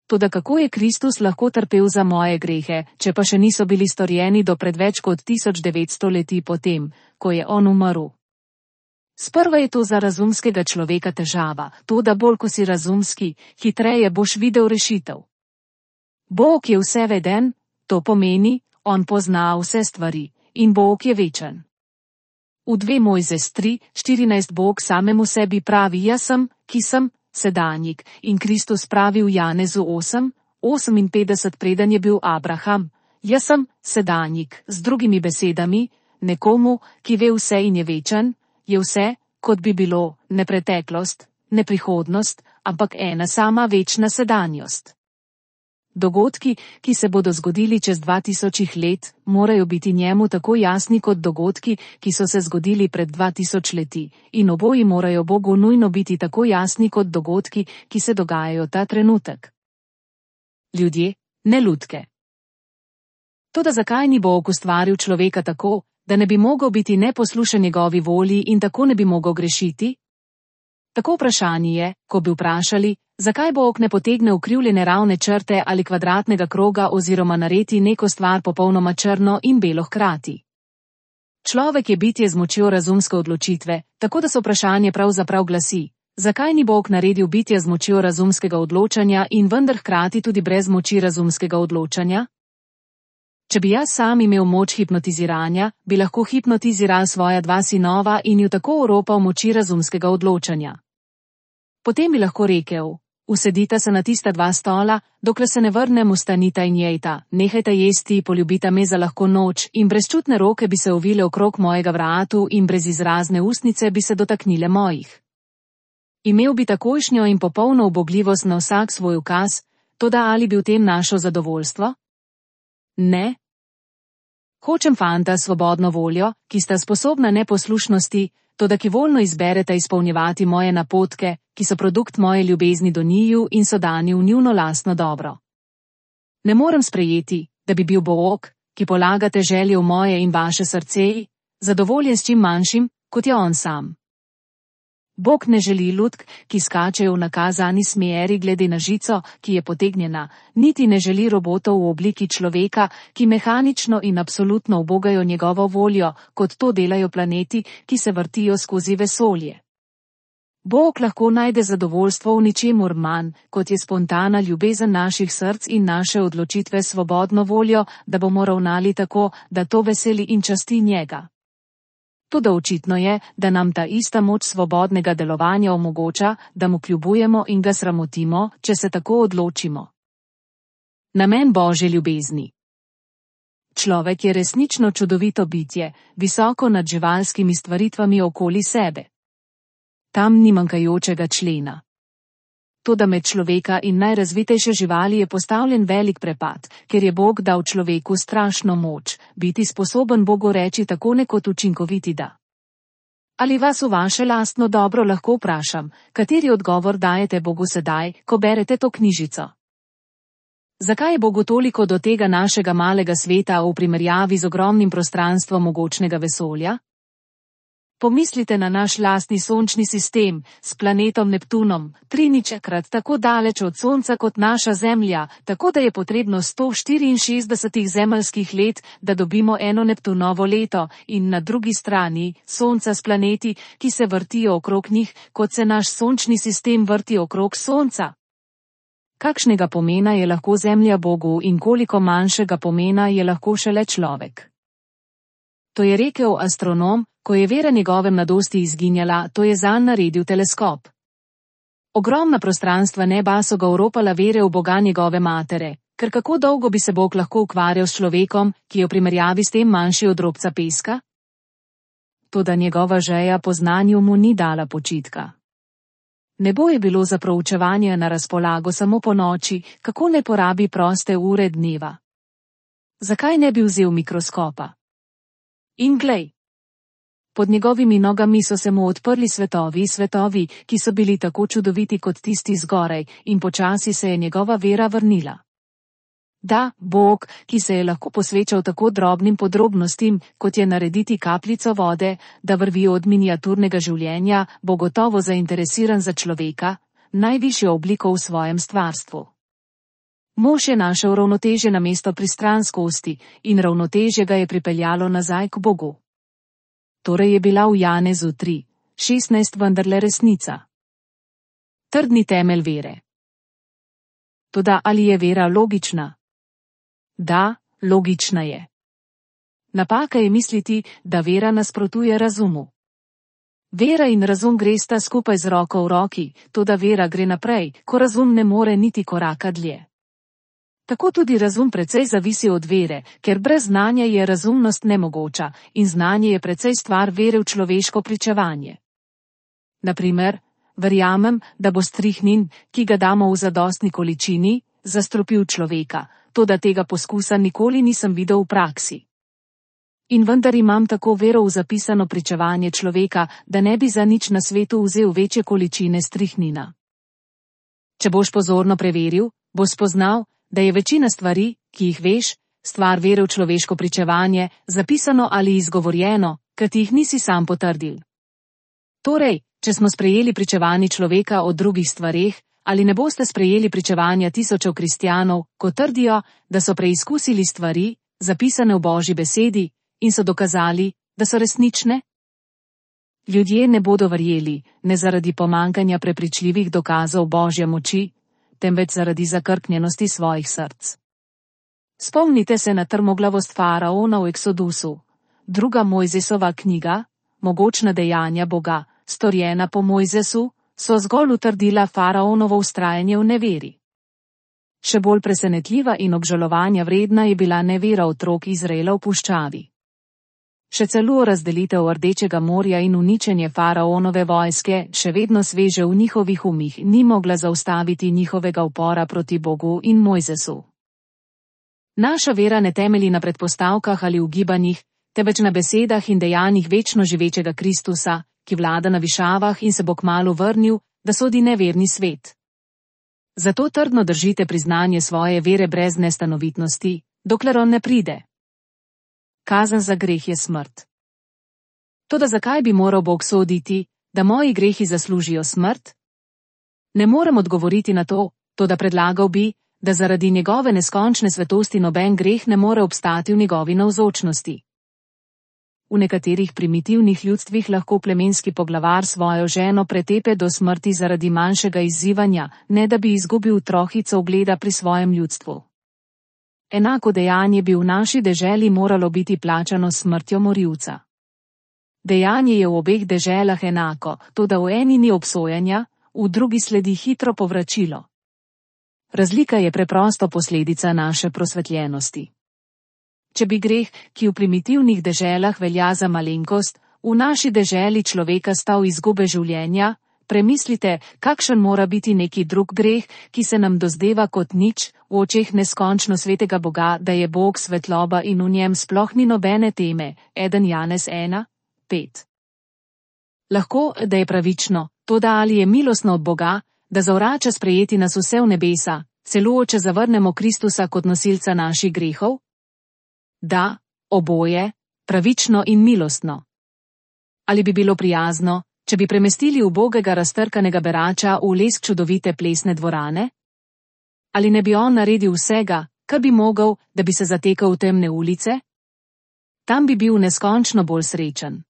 Toda kako je Kristus lahko trpel za moje grehe, če pa še niso bili storjeni do pred več kot 1900 leti potem, ko je on umrl? Sprva je to za razumskega človeka težava, toda bolj ko si razumski, hitreje boš videl rešitev. Bog je vseveden, to pomeni, on pozna vse stvari, in Bog je večen. V 2 Mojzes 3:14 Bog samemu sebi pravi, jaz sem, ki sem, sedanjik, in Kristus pravi v Janezu 8:58 preden je bil Abraham, jaz sem, sedanjik, z drugimi besedami, nekomu, ki ve vse in je večen, je vse, kot bi bilo, ne preteklost, ne prihodnost, ampak ena sama večna sedanjost. Dogodki, ki se bodo zgodili čez 2000 let, morajo biti njemu tako jasni kot dogodki, ki so se zgodili pred 2000 leti, in oboji morajo Bogu nujno biti tako jasni kot dogodki, ki se dogajajo ta trenutek. Ljudje, ne lutke. Toda zakaj ni Bog ustvaril človeka tako, da ne bi mogel biti neposlušen njegovi volji in tako ne bi mogel grešiti? Tako vprašanje je, ko bi vprašali, Zakaj Bog ne potegne ukrivljene ravne črte ali kvadratnega kroga oziroma naredi neko stvar popolnoma črno in belo hkrati? Človek je bitje z močjo razumske odločitve, tako da se vprašanje pravzaprav glasi: zakaj ni Bog naredil bitja z močjo razumskega odločanja in vendar hkrati tudi brez moči razumskega odločanja? Če bi jaz sam imel moč hipnotiziranja, bi lahko hipnotiziral svoja 2 sinova in ju tako oropal moči razumskega odločanja. Potem bi lahko rekel: usedita se na tista 2 stola, dokler se ne vrnem, vstanita in jejta, nehajta jesti, poljubita me za lahko noč, in brezčutne roke bi se ovile okrog mojega vratu in brezizrazne ustnice bi se dotaknile mojih. Imel bi takojšnjo in popolno ubogljivost na vsak svoj ukaz, toda ali bi v tem našel zadovoljstvo? Ne. Hočem fanta s svobodno voljo, ki sta sposobna neposlušnosti, toda ki voljno izbereta izpolnjevati moje napotke, ki so produkt moje ljubezni do njiju in so dani v njuno lastno dobro. Ne morem sprejeti, da bi bil Bog, ki polagate želje v moje in vaše srce, zadovoljen s čim manjšim, kot je on sam. Bog ne želi lutk, ki skačejo v nakazani smeri glede na žico, ki je potegnjena, niti ne želi robotov v obliki človeka, ki mehanično in absolutno ubogajo njegovo voljo, kot to delajo planeti, ki se vrtijo skozi vesolje. Bog lahko najde zadovoljstvo v ničemur manj, kot je spontana ljubezen naših src in naše odločitve svobodno voljo, da bomo ravnali tako, da to veseli in časti njega. Toda očitno je, da nam ta ista moč svobodnega delovanja omogoča, da mu kljubujemo in ga sramotimo, če se tako odločimo. Namen Božje ljubezni. Človek je resnično čudovito bitje, visoko nad živalskimi stvaritvami okoli sebe. Tam ni manjkajočega člena. Toda med človeka in najrazvitejše živali je postavljen velik prepad, ker je Bog dal človeku strašno moč, biti sposoben Bogu reči tako nekot učinkoviti da. Ali vas v vaše lastno dobro lahko vprašam, kateri odgovor dajete Bogu sedaj, ko berete to knjižico? Zakaj je Bogu toliko do tega našega malega sveta v primerjavi z ogromnim prostranstvom mogočnega vesolja? Pomislite na naš lastni sončni sistem s planetom Neptunom, 3-krat tako daleč od Sonca kot naša Zemlja, tako da je potrebno 164 zemeljskih let, da dobimo eno Neptunovo leto, in na drugi strani Sonca s planeti, ki se vrtijo okrog njih, kot se naš sončni sistem vrti okrog Sonca. Kakšnega pomena je lahko Zemlja Bogu in koliko manjšega pomena je lahko šele človek? To je rekel astronom, ko je vera njegove mladosti izginjala, to je zanj naredil teleskop. Ogromna prostranstva neba so ga oropala vere v Boga njegove matere, ker kako dolgo bi se Bog lahko ukvarjal s človekom, ki je v primerjavi s tem manjši od drobca peska? Toda njegova žeja po znanju mu ni dala počitka. Nebo je bilo za proučevanje na razpolago samo po noči, kako ne porabi proste ure dneva. Zakaj ne bi vzel mikroskopa? In glej. Pod njegovimi nogami so se mu odprli svetovi, ki so bili tako čudoviti kot tisti zgoraj, in počasi se je njegova vera vrnila. Da, Bog, ki se je lahko posvečal tako drobnim podrobnostim, kot je narediti kapljico vode, da vrvi od miniaturnega življenja, bo gotovo zainteresiran za človeka, najvišjo obliko v svojem stvarstvu. Mož je našel ravnotežje na mesto pristranskosti in ravnotežje ga je pripeljalo nazaj k Bogu. Torej je bila v Janezu 3:16 vendarle resnica. Trdni temelj vere. Toda ali je vera logična? Da, logična je. Napaka je misliti, da vera nasprotuje razumu. Vera in razum gresta skupaj z roko v roki, toda vera gre naprej, ko razum ne more niti koraka dlje. Tako tudi razum precej zavisi od vere, ker brez znanja je razumnost nemogoča, in znanje je precej stvar vere v človeško pričevanje. Naprimer, verjamem, da bo strihnin, ki ga damo v zadostni količini, zastrupil človeka, toda tega poskusa nikoli nisem videl v praksi. In vendar imam tako vero v zapisano pričevanje človeka, da ne bi za nič na svetu vzel večje količine strihnina. Če boš pozorno preveril, boš spoznal, da je večina stvari, ki jih veš, stvar vere v človeško pričevanje, zapisano ali izgovorjeno, ker ti jih nisi sam potrdil. Torej, če smo sprejeli pričevanje človeka o drugih stvareh, ali ne boste sprejeli pričevanja tisočev kristjanov, ko trdijo, da so preizkusili stvari, zapisane v Božji besedi, in so dokazali, da so resnične? Ljudje ne bodo verjeli, ne zaradi pomanjkanja prepričljivih dokazov Božje moči, temveč zaradi zakrknjenosti svojih src. Spomnite se na trmoglavost faraona v Eksodusu. Druga Mojzesova knjiga, Mogočna dejanja Boga, storjena po Mojzesu, so zgolj utrdila faraonovo vztrajanje v neveri. Še bolj presenetljiva in obžalovanja vredna je bila nevera otrok Izraela v puščavi. Še celo razdelitev Rdečega morja in uničenje faraonove vojske, še vedno sveže v njihovih umih, ni mogla zaustaviti njihovega upora proti Bogu in Mojzesu. Naša vera ne temelji na predpostavkah ali ugibanjih, temveč na besedah in dejanjih večno živečega Kristusa, ki vlada na višavah in se bo kmalu vrnil, da sodi neverni svet. Zato trdno držite priznanje svoje vere brez nestanovitnosti, dokler on ne pride. Kazen za greh je smrt. Toda zakaj bi moral Bog soditi, da moji grehi zaslužijo smrt? Ne morem odgovoriti na to, toda predlagal bi, da zaradi njegove neskončne svetosti noben greh ne more obstati v njegovi navzočnosti. V nekaterih primitivnih ljudstvih lahko plemenski poglavar svojo ženo pretepe do smrti zaradi manjšega izzivanja, ne da bi izgubil trohico ugleda pri svojem ljudstvu. Enako dejanje bi v naši deželi moralo biti plačano s smrtjo morilca. Dejanje je v obeh deželah enako, toda v eni ni obsojanja, v drugi sledi hitro povračilo. Razlika je preprosto posledica naše prosvetljenosti. Če bi greh, ki v primitivnih deželah velja za malenkost, v naši deželi človeka stal izgube življenja, premislite, kakšen mora biti neki drug greh, ki se nam dozdeva kot nič, v očeh neskončno svetega Boga, da je Bog svetloba in v njem sploh ni nobene teme. 1 Janez 1:5. Lahko, da je pravično, toda ali je milostno od Boga, da zavrača sprejeti nas vse v nebesa, celo če zavrnemo Kristusa kot nosilca naših grehov? Da, oboje, pravično in milostno. Ali bi bilo prijazno, če bi premestili ubogega raztrkanega berača v lesk čudovite plesne dvorane? Ali ne bi on naredil vsega, kar bi mogel, da bi se zatekal v temne ulice? Tam bi bil neskončno bolj srečen.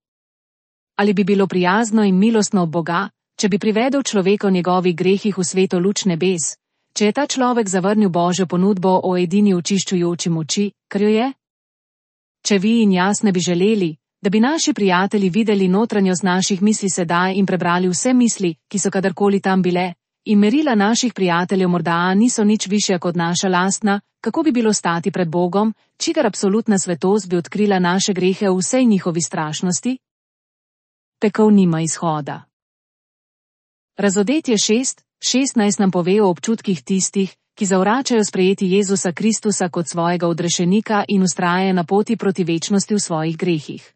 Ali bi bilo prijazno in milostno od Boga, če bi privedel človeka v njegovih grehih v sveto luč nebes, če je ta človek zavrnil Božjo ponudbo o edini očiščujoči moči, kar jo je? Če vi in jaz ne bi želeli, da bi naši prijatelji videli notranjost naših misli sedaj in prebrali vse misli, ki so kadarkoli tam bile, in merila naših prijateljev morda niso nič višja kot naša lastna, kako bi bilo stati pred Bogom, čigar absolutna svetost bi odkrila naše grehe v vsej njihovi strašnosti? Pekel nima izhoda. Razodetje 6:16 nam pove o občutkih tistih, ki zavračajo sprejeti Jezusa Kristusa kot svojega odrešenika in vztrajajo na poti proti večnosti v svojih grehih.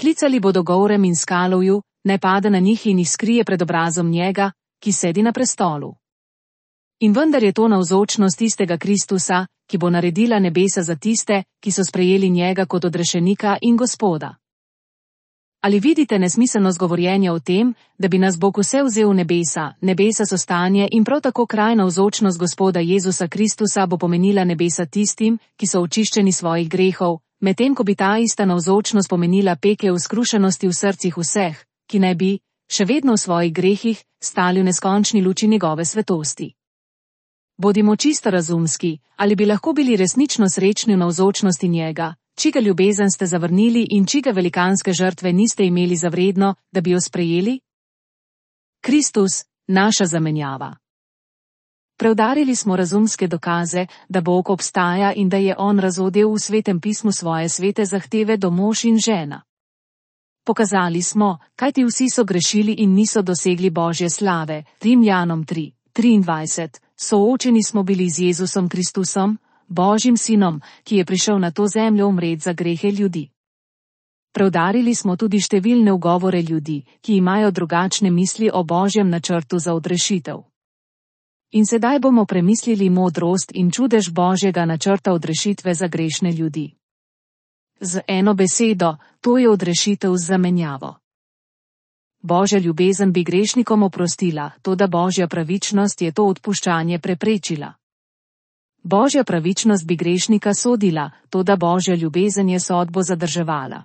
Klicali bodo gorem in skalovju, naj pade na njih in jih skrije pred obrazom njega, ki sedi na prestolu. In vendar je to navzočnost tistega Kristusa, ki bo naredila nebesa za tiste, ki so sprejeli njega kot odrešenika in Gospoda. Ali vidite nesmiselnost govorjenja o tem, da bi nas Bog vse vzel v nebesa? Nebesa so stanje in prav tako kraj navzočnost Gospoda Jezusa Kristusa bo pomenila nebesa tistim, ki so očiščeni svojih grehov, medtem ko bi ta ista navzočnost pomenila pekel skrušenosti v srcih vseh, ki naj bi, še vedno v svojih grehih, stali v neskončni luči njegove svetosti. Bodimo čisto razumski, ali bi lahko bili resnično srečni v navzočnosti njega, čiga ljubezen ste zavrnili in čiga velikanske žrtve niste imeli za vredno, da bi jo sprejeli? Kristus, naša zamenjava. Preudarili smo razumske dokaze, da Bog obstaja in da je on razodel v Svetem pismu svoje svete zahteve do mož in žena. Pokazali smo, kajti vsi so grešili in niso dosegli Božje slave. Rimljanom 3:23. Soočeni smo bili z Jezusom Kristusom, Božjim sinom, ki je prišel na to zemljo umret za grehe ljudi. Preudarili smo tudi številne ugovore ljudi, ki imajo drugačne misli o Božjem načrtu za odrešitev. In sedaj bomo premislili modrost in čudež Božjega načrta odrešitve za grešne ljudi. Z eno besedo, to je odrešitev z zamenjavo. Božja ljubezen bi grešnikom oprostila, toda Božja pravičnost je to odpuščanje preprečila. Božja pravičnost bi grešnika sodila, toda Božja ljubezen je sodbo zadrževala.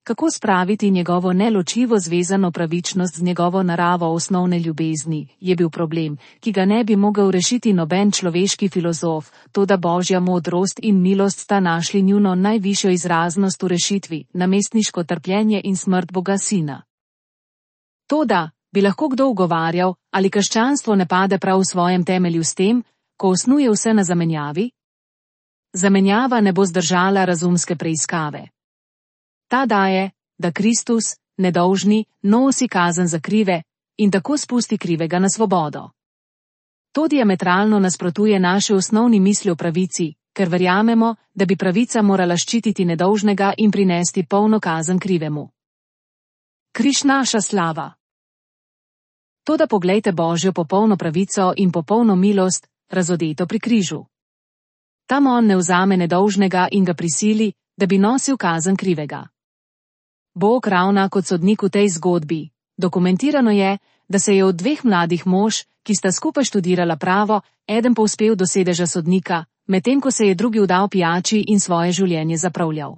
Kako spraviti njegovo neločljivo zvezano pravičnost z njegovo naravo osnovne ljubezni, je bil problem, ki ga ne bi mogel rešiti noben človeški filozof, toda Božja modrost in milost sta našli njuno najvišjo izraznost v rešitvi, namestniško trpljenje in smrt Boga Sina. Toda, bi lahko kdo ugovarjal, ali krščanstvo ne pade prav v svojem temelju s tem, ko osnuje vse na zamenjavi? Zamenjava ne bo zdržala razumske preiskave. Ta daje, da Kristus, nedolžni, nosi kazen za krive in tako spusti krivega na svobodo. To diametralno nasprotuje naši osnovni misli o pravici, ker verjamemo, da bi pravica morala ščititi nedolžnega in prinesti polno kazen krivemu. Križ naša slava. Toda poglejte Božjo popolno pravico in popolno milost, razodeto pri križu. Tam on ne vzame nedolžnega in ga prisili, da bi nosil kazen krivega. Bog ravna kot sodnik v tej zgodbi. Dokumentirano je, da se je od dveh mladih mož, ki sta skupaj študirala pravo, eden povzpel do sedeža sodnika, medtem ko se je drugi vdal pijači in svoje življenje zapravljal.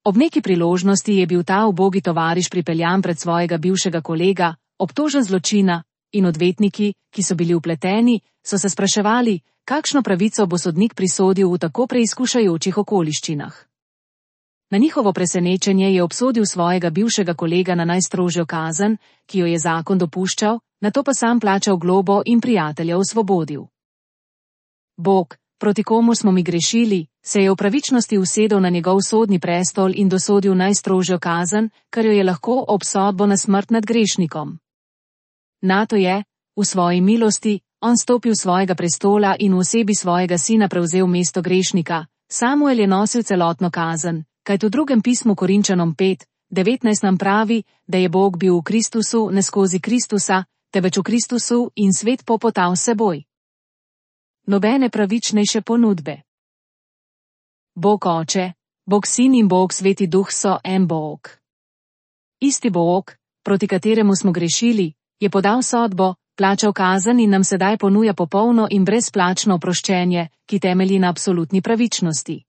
Ob neki priložnosti je bil ta ubogi tovariš pripeljan pred svojega bivšega kolega, obtožen zločina, in odvetniki, ki so bili vpleteni, so se spraševali, kakšno pravico bo sodnik prisodil v tako preizkušajočih okoliščinah. Na njihovo presenečenje je obsodil svojega bivšega kolega na najstrožjo kazen, ki jo je zakon dopuščal, nato pa sam plačal globo in prijatelja osvobodil. Bog, proti komu smo mi grešili, se je v pravičnosti usedel na njegov sodni prestol in dosodil najstrožjo kazen, kar jo je lahko obsodbo na smrt nad grešnikom. Nato je, v svoji milosti, on stopil svojega prestola in v osebi svojega sina prevzel mesto grešnika. Samuel je nosil celotno kazen, kajti v drugem pismu Korinčanom 5:19 nam pravi, da je Bog bil v Kristusu, ne skozi Kristusa, temveč v Kristusu in svet popotal s seboj. Nobene pravičnejše ponudbe. Bog Oče, Bog Sin in Bog Sveti Duh so en Bog. Isti Bog, proti kateremu smo grešili, je podal sodbo, plačal kazen in nam sedaj ponuja popolno in brezplačno oproščenje, ki temelji na absolutni pravičnosti.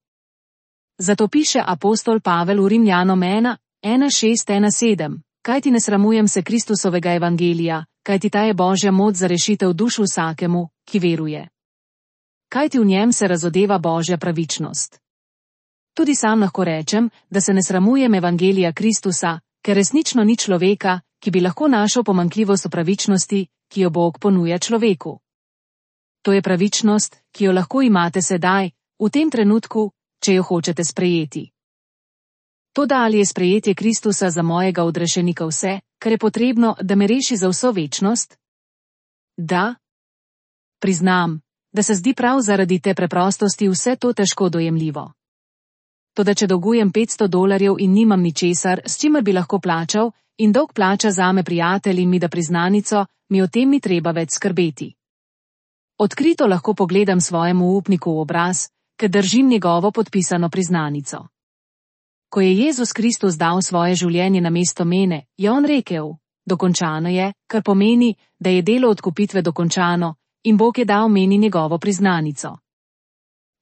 Zato piše apostol Pavel v Rimljanom 1:1:6-1:7, kajti ne sramujem se Kristusovega evangelija, kajti ta je Božja moč za rešitev duš vsakemu, ki veruje. Kajti v njem se razodeva Božja pravičnost. Tudi sam lahko rečem, da se ne sramujem evangelija Kristusa, ker resnično ni človeka, ki bi lahko našel pomanjkljivost v pravičnosti, ki jo Bog ponuja človeku. To je pravičnost, ki jo lahko imate sedaj, v tem trenutku, če jo hočete sprejeti. Toda ali je sprejetje Kristusa za mojega odrešenika vse, kar je potrebno, da me reši za vso večnost? Da. Priznam, da se zdi prav zaradi te preprostosti vse to težko dojemljivo. Toda če dolgujem $500 in nimam ničesar, s čimer bi lahko plačal, in dolg plača zame prijatelj in mi da priznanico, mi o tem ni treba več skrbeti. Odkrito lahko pogledam svojemu upniku v obraz, ker držim njegovo podpisano priznanico. Ko je Jezus Kristus dal svoje življenje namesto mene, je on rekel: dokončano je, kar pomeni, da je delo odkupitve dokončano, in Bog je dal meni njegovo priznanico.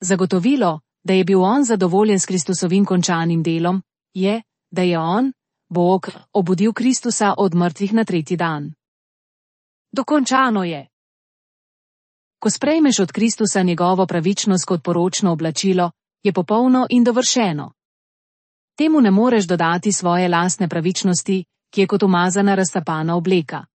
Zagotovilo, da je bil on zadovoljen s Kristusovim končanim delom, je, da je on, Bog, obudil Kristusa od mrtvih na tretji dan. Dokončano je. Ko sprejmeš od Kristusa njegovo pravičnost kot poročno oblačilo, je popolno in dovršeno. Temu ne moreš dodati svoje lastne pravičnosti, ki je kot umazana raztapana obleka.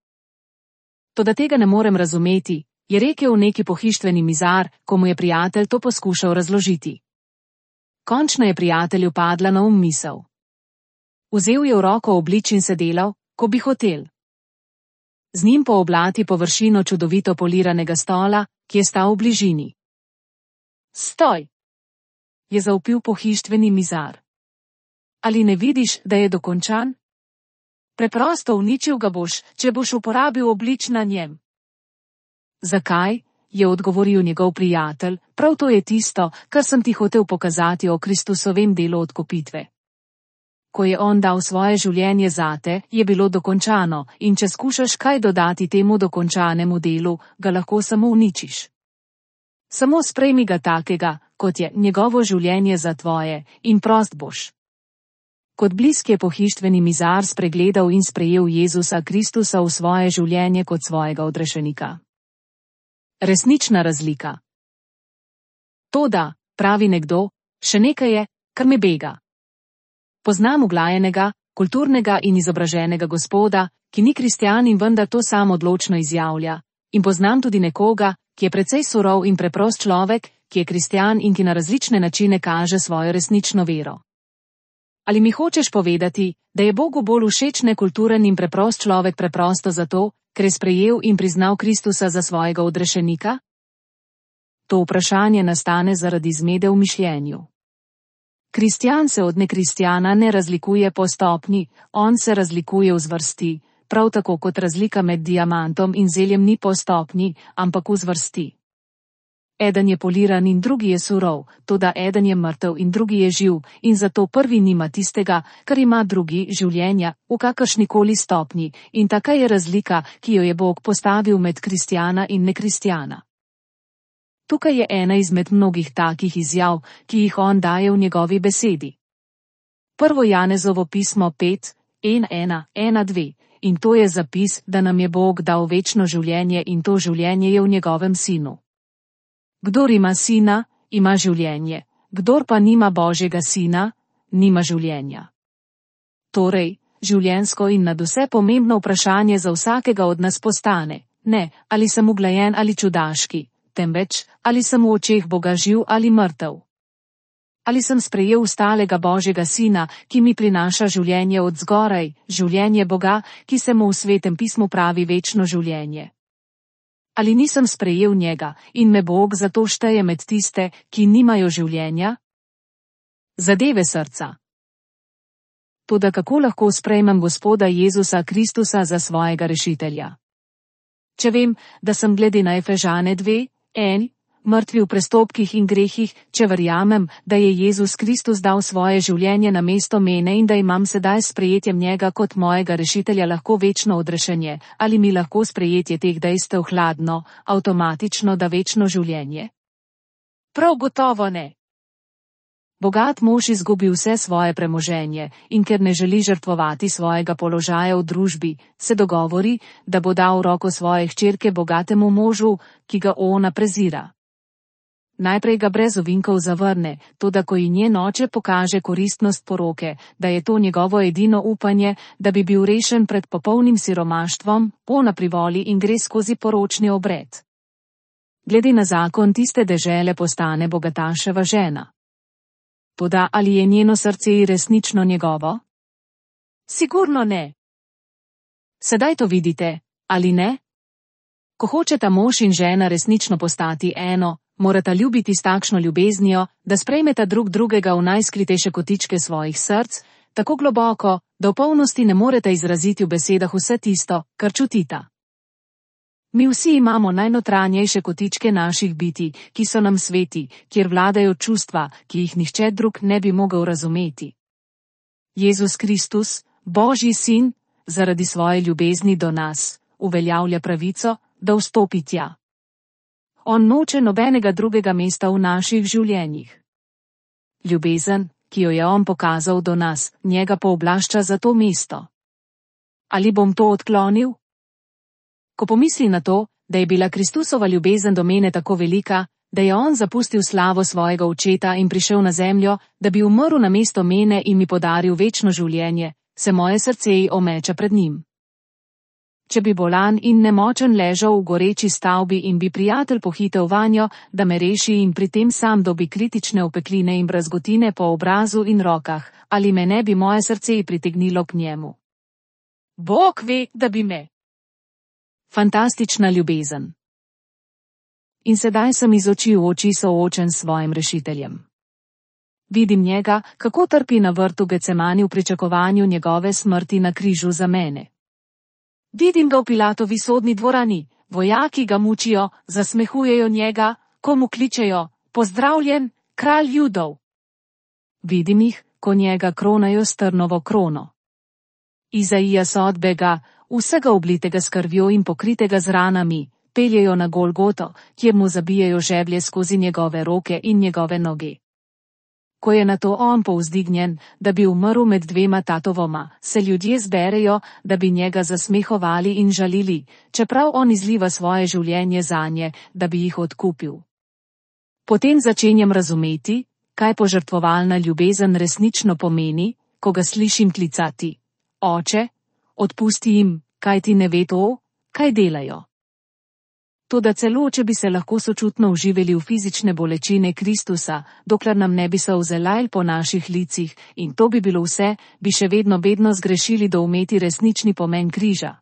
Toda tega ne morem razumeti, je rekel neki pohištveni mizar, ko mu je prijatelj to poskušal razložiti. Končno je prijatelju padla na misel. Vzel je v roko oblič in se delal, ko bi hotel. Z njim pooblati površino čudovito poliranega stola, ki je stal v bližini. Stoj! Je zavpil pohištveni mizar. Ali ne vidiš, da je dokončan? Preprosto uničil ga boš, če boš uporabil oblič na njem. Zakaj? Je odgovoril njegov prijatelj, prav to je tisto, kar sem ti hotel pokazati o Kristusovem delu odkupitve. ko je on dal svoje življenje zate, je bilo dokončano, in če skušaš kaj dodati temu dokončanemu delu, ga lahko samo uničiš. Samo sprejmi ga takega, kot je njegovo življenje za tvoje, in prost boš. Kot blisk je pohištveni mizar spregledal in sprejel Jezusa Kristusa v svoje življenje kot svojega odrešenika. Resnična razlika. Toda, pravi nekdo, še nekaj je, kar me bega. Poznam uglajenega, kulturnega in izobraženega gospoda, ki ni kristjan in vendar to sam odločno izjavlja, in poznam tudi nekoga, ki je precej surov in preprost človek, ki je kristjan in ki na različne načine kaže svojo resnično vero. Ali mi hočeš povedati, da je Bogu bolj všeč nekulturen in preprost človek preprosto zato, ker je sprejel in priznal Kristusa za svojega odrešenika? To vprašanje nastane zaradi zmede v mišljenju. Kristjan se od nekristjana ne razlikuje po stopnji, on se razlikuje v zvrsti, prav tako kot razlika med diamantom in zeljem ni po stopnji, ampak v zvrsti. Eden je poliran in drugi je surov, toda eden je mrtev in drugi je živ, in zato prvi nima tistega, kar ima drugi, življenja, v kakršnikoli stopnji, in taka je razlika, ki jo je Bog postavil med kristjana in nekristjana. Tukaj je ena izmed mnogih takih izjav, ki jih on daje v njegovi besedi. 1. Janezovo pismo 5, 1:1-2, in to je zapis, da nam je Bog dal večno življenje in to življenje je v njegovem sinu. Kdor ima sina, ima življenje, kdor pa nima Božjega sina, nima življenja. Torej, življenjsko in nadvse pomembno vprašanje za vsakega od nas postane, ne, ali sem uglajen ali čudaški, temveč, ali sem v očeh Boga živ ali mrtev. Ali sem sprejel stalega Božjega sina, ki mi prinaša življenje od zgoraj, življenje Boga, ki se mu v svetem pismu pravi večno življenje. Ali nisem sprejel njega in me Bog zato šteje med tiste, ki nimajo življenja? Zadeve srca. Toda kako lahko sprejmem Gospoda Jezusa Kristusa za svojega rešitelja? Če vem, da sem glede na Efežane 2:1, mrtvi v prestopkih in grehih, če verjamem, da je Jezus Kristus dal svoje življenje na mesto mene in da imam sedaj s sprejetjem njega kot mojega rešitelja lahko večno odrešenje, ali mi lahko sprejetje teh dejstev hladno, avtomatično da večno življenje? Prav gotovo ne. Bogat mož izgubi vse svoje premoženje in ker ne želi žrtvovati svojega položaja v družbi, se dogovori, da bo dal v roko svoje hčerke bogatemu možu, ki ga ona prezira. Najprej ga brez ovinkov zavrne, toda ko ji njen oče pokaže koristnost poroke, da je to njegovo edino upanje, da bi bil rešen pred popolnim siromaštvom, ona privoli in gre skozi poročni obred. Glede na zakon tiste dežele postane bogataševa žena. Toda ali je njeno srce resnično njegovo? Sigurno ne. Sedaj to vidite, ali ne? Ko hočeta mož in žena resnično postati eno, morata ljubiti s takšno ljubeznijo, da sprejmeta drug drugega v najskritejše kotičke svojih src, tako globoko, da v polnosti ne moreta izraziti v besedah vse tisto, kar čutita. Mi vsi imamo najnotranjejše kotičke naših biti, ki so nam sveti, kjer vladajo čustva, ki jih nihče drug ne bi mogel razumeti. Jezus Kristus, Božji sin, zaradi svoje ljubezni do nas, uveljavlja pravico, da vstopi tja. On noče nobenega drugega mesta v naših življenjih. Ljubezen, ki jo je on pokazal do nas, njega pooblašča za to mesto. Ali bom to odklonil? Ko pomisli na to, da je bila Kristusova ljubezen do mene tako velika, da je on zapustil slavo svojega očeta in prišel na zemljo, da bi umrl na mesto mene in mi podaril večno življenje, se moje srce omeča pred njim. Če bi bolan in nemočen ležal v goreči stavbi in bi prijatelj pohitel vanjo, da me reši in pri tem sam dobi kritične opekline in brazgotine po obrazu in rokah, ali me ne bi moje srce pritegnilo k njemu? Bog ve, da bi me. Fantastična ljubezen. In sedaj sem iz oči v oči soočen s svojim rešiteljem. Vidim njega, kako trpi na vrtu Getsemani v pričakovanju njegove smrti na križu za mene. Vidim ga v Pilatovi sodni dvorani, vojaki ga mučijo, zasmehujejo njega, ko mu kličejo, pozdravljen, kralj Judov. Vidim jih, ko njega kronajo s trnovo krono. Izaija sodbe ga, vsega oblitega s krvjo in pokritega z ranami, peljejo na Golgoto, kjer mu zabijajo žeblje skozi njegove roke in njegove noge. Ko je nato on povzdignjen, da bi umrl med dvema tatovoma, se ljudje zberejo, da bi njega zasmehovali in žalili, čeprav on izliva svoje življenje zanje, da bi jih odkupil. Potem začenjam razumeti, kaj požrtvovalna ljubezen resnično pomeni, ko ga slišim klicati: Oče, odpusti jim, kaj ti ne ve to, kaj delajo. Toda celo, če bi se lahko sočutno uživali v fizične bolečine Kristusa, dokler nam ne bi solze lajl po naših licih, in to bi bilo vse, bi še vedno zgrešili doumeti resnični pomen križa.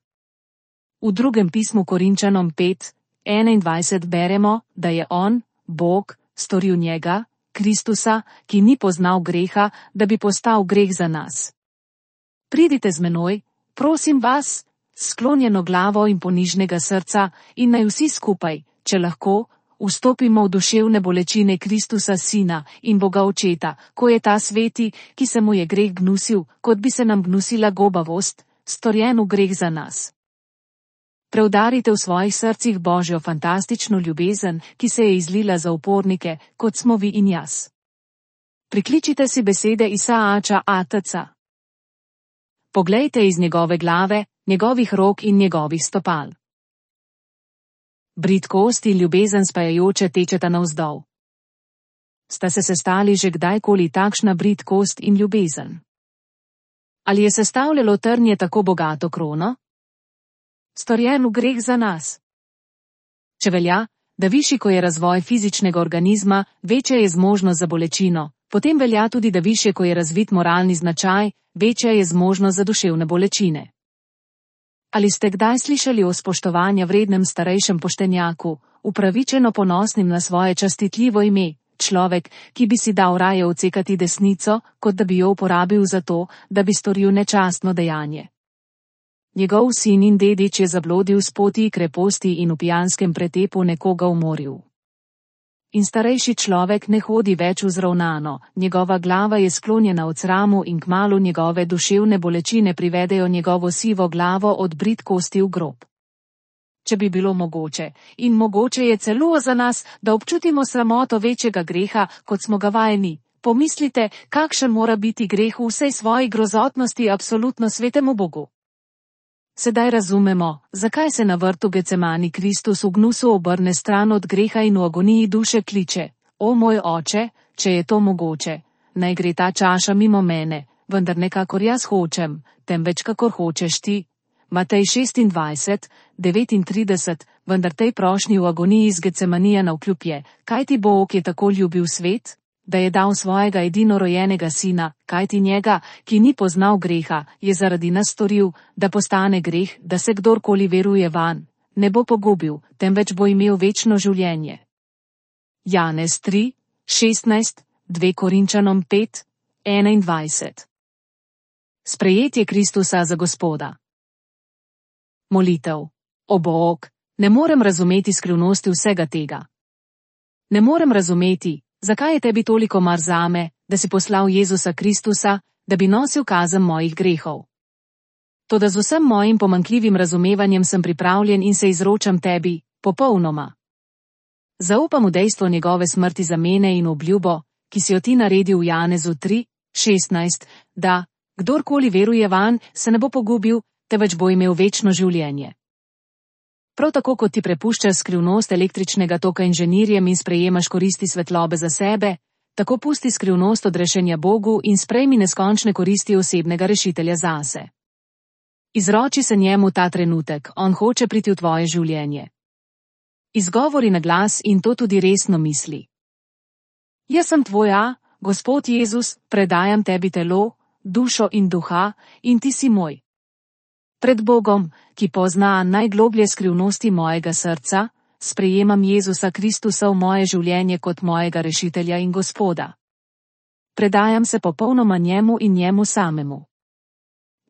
V drugem pismu Korinčanom 5:21 beremo, da je on, Bog, storil njega, Kristusa, ki ni poznal greha, da bi postal greh za nas. Pridite z menoj, prosim vas, sklonjeno glavo in ponižnega srca, in naj vsi skupaj, če lahko, vstopimo v duševne bolečine Kristusa Sina in Boga Očeta, ko je ta sveti, ki se mu je greh gnusil, kot bi se nam gnusila gobavost, storjen v greh za nas. Preudarite v svojih srcih Božjo fantastično ljubezen, ki se je izlila za upornike, kot smo vi in jaz. Prikličite si besede Isaača Atca. Poglejte iz njegove glave, njegovih rok in njegovih stopal. Bridkost in ljubezen spajajoče tečeta navzdol. Sta se sestali že kdajkoli takšna bridkost in ljubezen? Ali je sestavljalo trnje tako bogato krono? Storjen v greh za nas. Če velja, da višji ko je razvoj fizičnega organizma, večja je zmožnost za bolečino, potem velja tudi, da višje ko je razvit moralni značaj, večja je zmožnost za duševne bolečine. Ali ste kdaj slišali o spoštovanja vrednem starejšem poštenjaku, upravičeno ponosnim na svoje častitljivo ime, človek, ki bi si dal raje odsekati desnico, kot da bi jo uporabil za to, da bi storil nečastno dejanje? Njegov sin in dedič je zablodil s poti kreposti in v pijanskem pretepu nekoga umoril. In starejši človek ne hodi več vzravnano, njegova glava je sklonjena od sramu in kmalu njegove duševne bolečine privedejo njegovo sivo glavo od bridkosti v grob. Če bi bilo mogoče, in mogoče je celo za nas, da občutimo sramoto večjega greha, kot smo ga vajeni, pomislite, kakšen mora biti greh v vsej svoji grozotnosti absolutno svetemu Bogu. Sedaj razumemo, zakaj se na vrtu Gecemani Kristus v gnusu obrne stran od greha in v agoniji duše kliče: O moj oče, če je to mogoče, naj gre ta čaša mimo mene, vendar ne kakor jaz hočem, temveč kakor hočeš ti. Matej 26:39, vendar tej prošnji v agoniji z Gecemanija navkljub je, kajti Bog je tako ljubil svet, da je dal svojega edinorojenega sina, kajti njega, ki ni poznal greha, je zaradi nas storil, da postane greh, da se kdorkoli veruje vanj, ne bo pogubil, temveč bo imel večno življenje. Janez 3:16, 2 Korinčanom 5:21. Sprejetje Kristusa za Gospoda. Molitev. O Bog, ne morem razumeti skrivnosti vsega tega. Ne morem razumeti, zakaj je tebi toliko mar zame, da si poslal Jezusa Kristusa, da bi nosil kazen mojih grehov. Toda z vsem mojim pomanjkljivim razumevanjem sem pripravljen in se izročam tebi, popolnoma. Zaupam v dejstvo njegove smrti za mene in obljubo, ki si jo ti naredil v Janezu 3:16, da, kdorkoli veruje vanj, se ne bo pogubil, temveč bo imel večno življenje. Prav tako kot ti prepuščaš skrivnost električnega toka inženirjem in sprejemaš koristi svetlobe za sebe, tako pusti skrivnost odrešenja Bogu in sprejmi neskončne koristi osebnega rešitelja zase. Izroči se njemu ta trenutek, on hoče priti v tvoje življenje. Izgovori na glas in to tudi resno misli. Jaz sem tvoja, Gospod Jezus, predajam tebi telo, dušo in duha, in ti si moj. Pred Bogom, ki pozna najgloblje skrivnosti mojega srca, sprejemam Jezusa Kristusa v moje življenje kot mojega rešitelja in Gospoda. Predajam se popolnoma njemu in njemu samemu.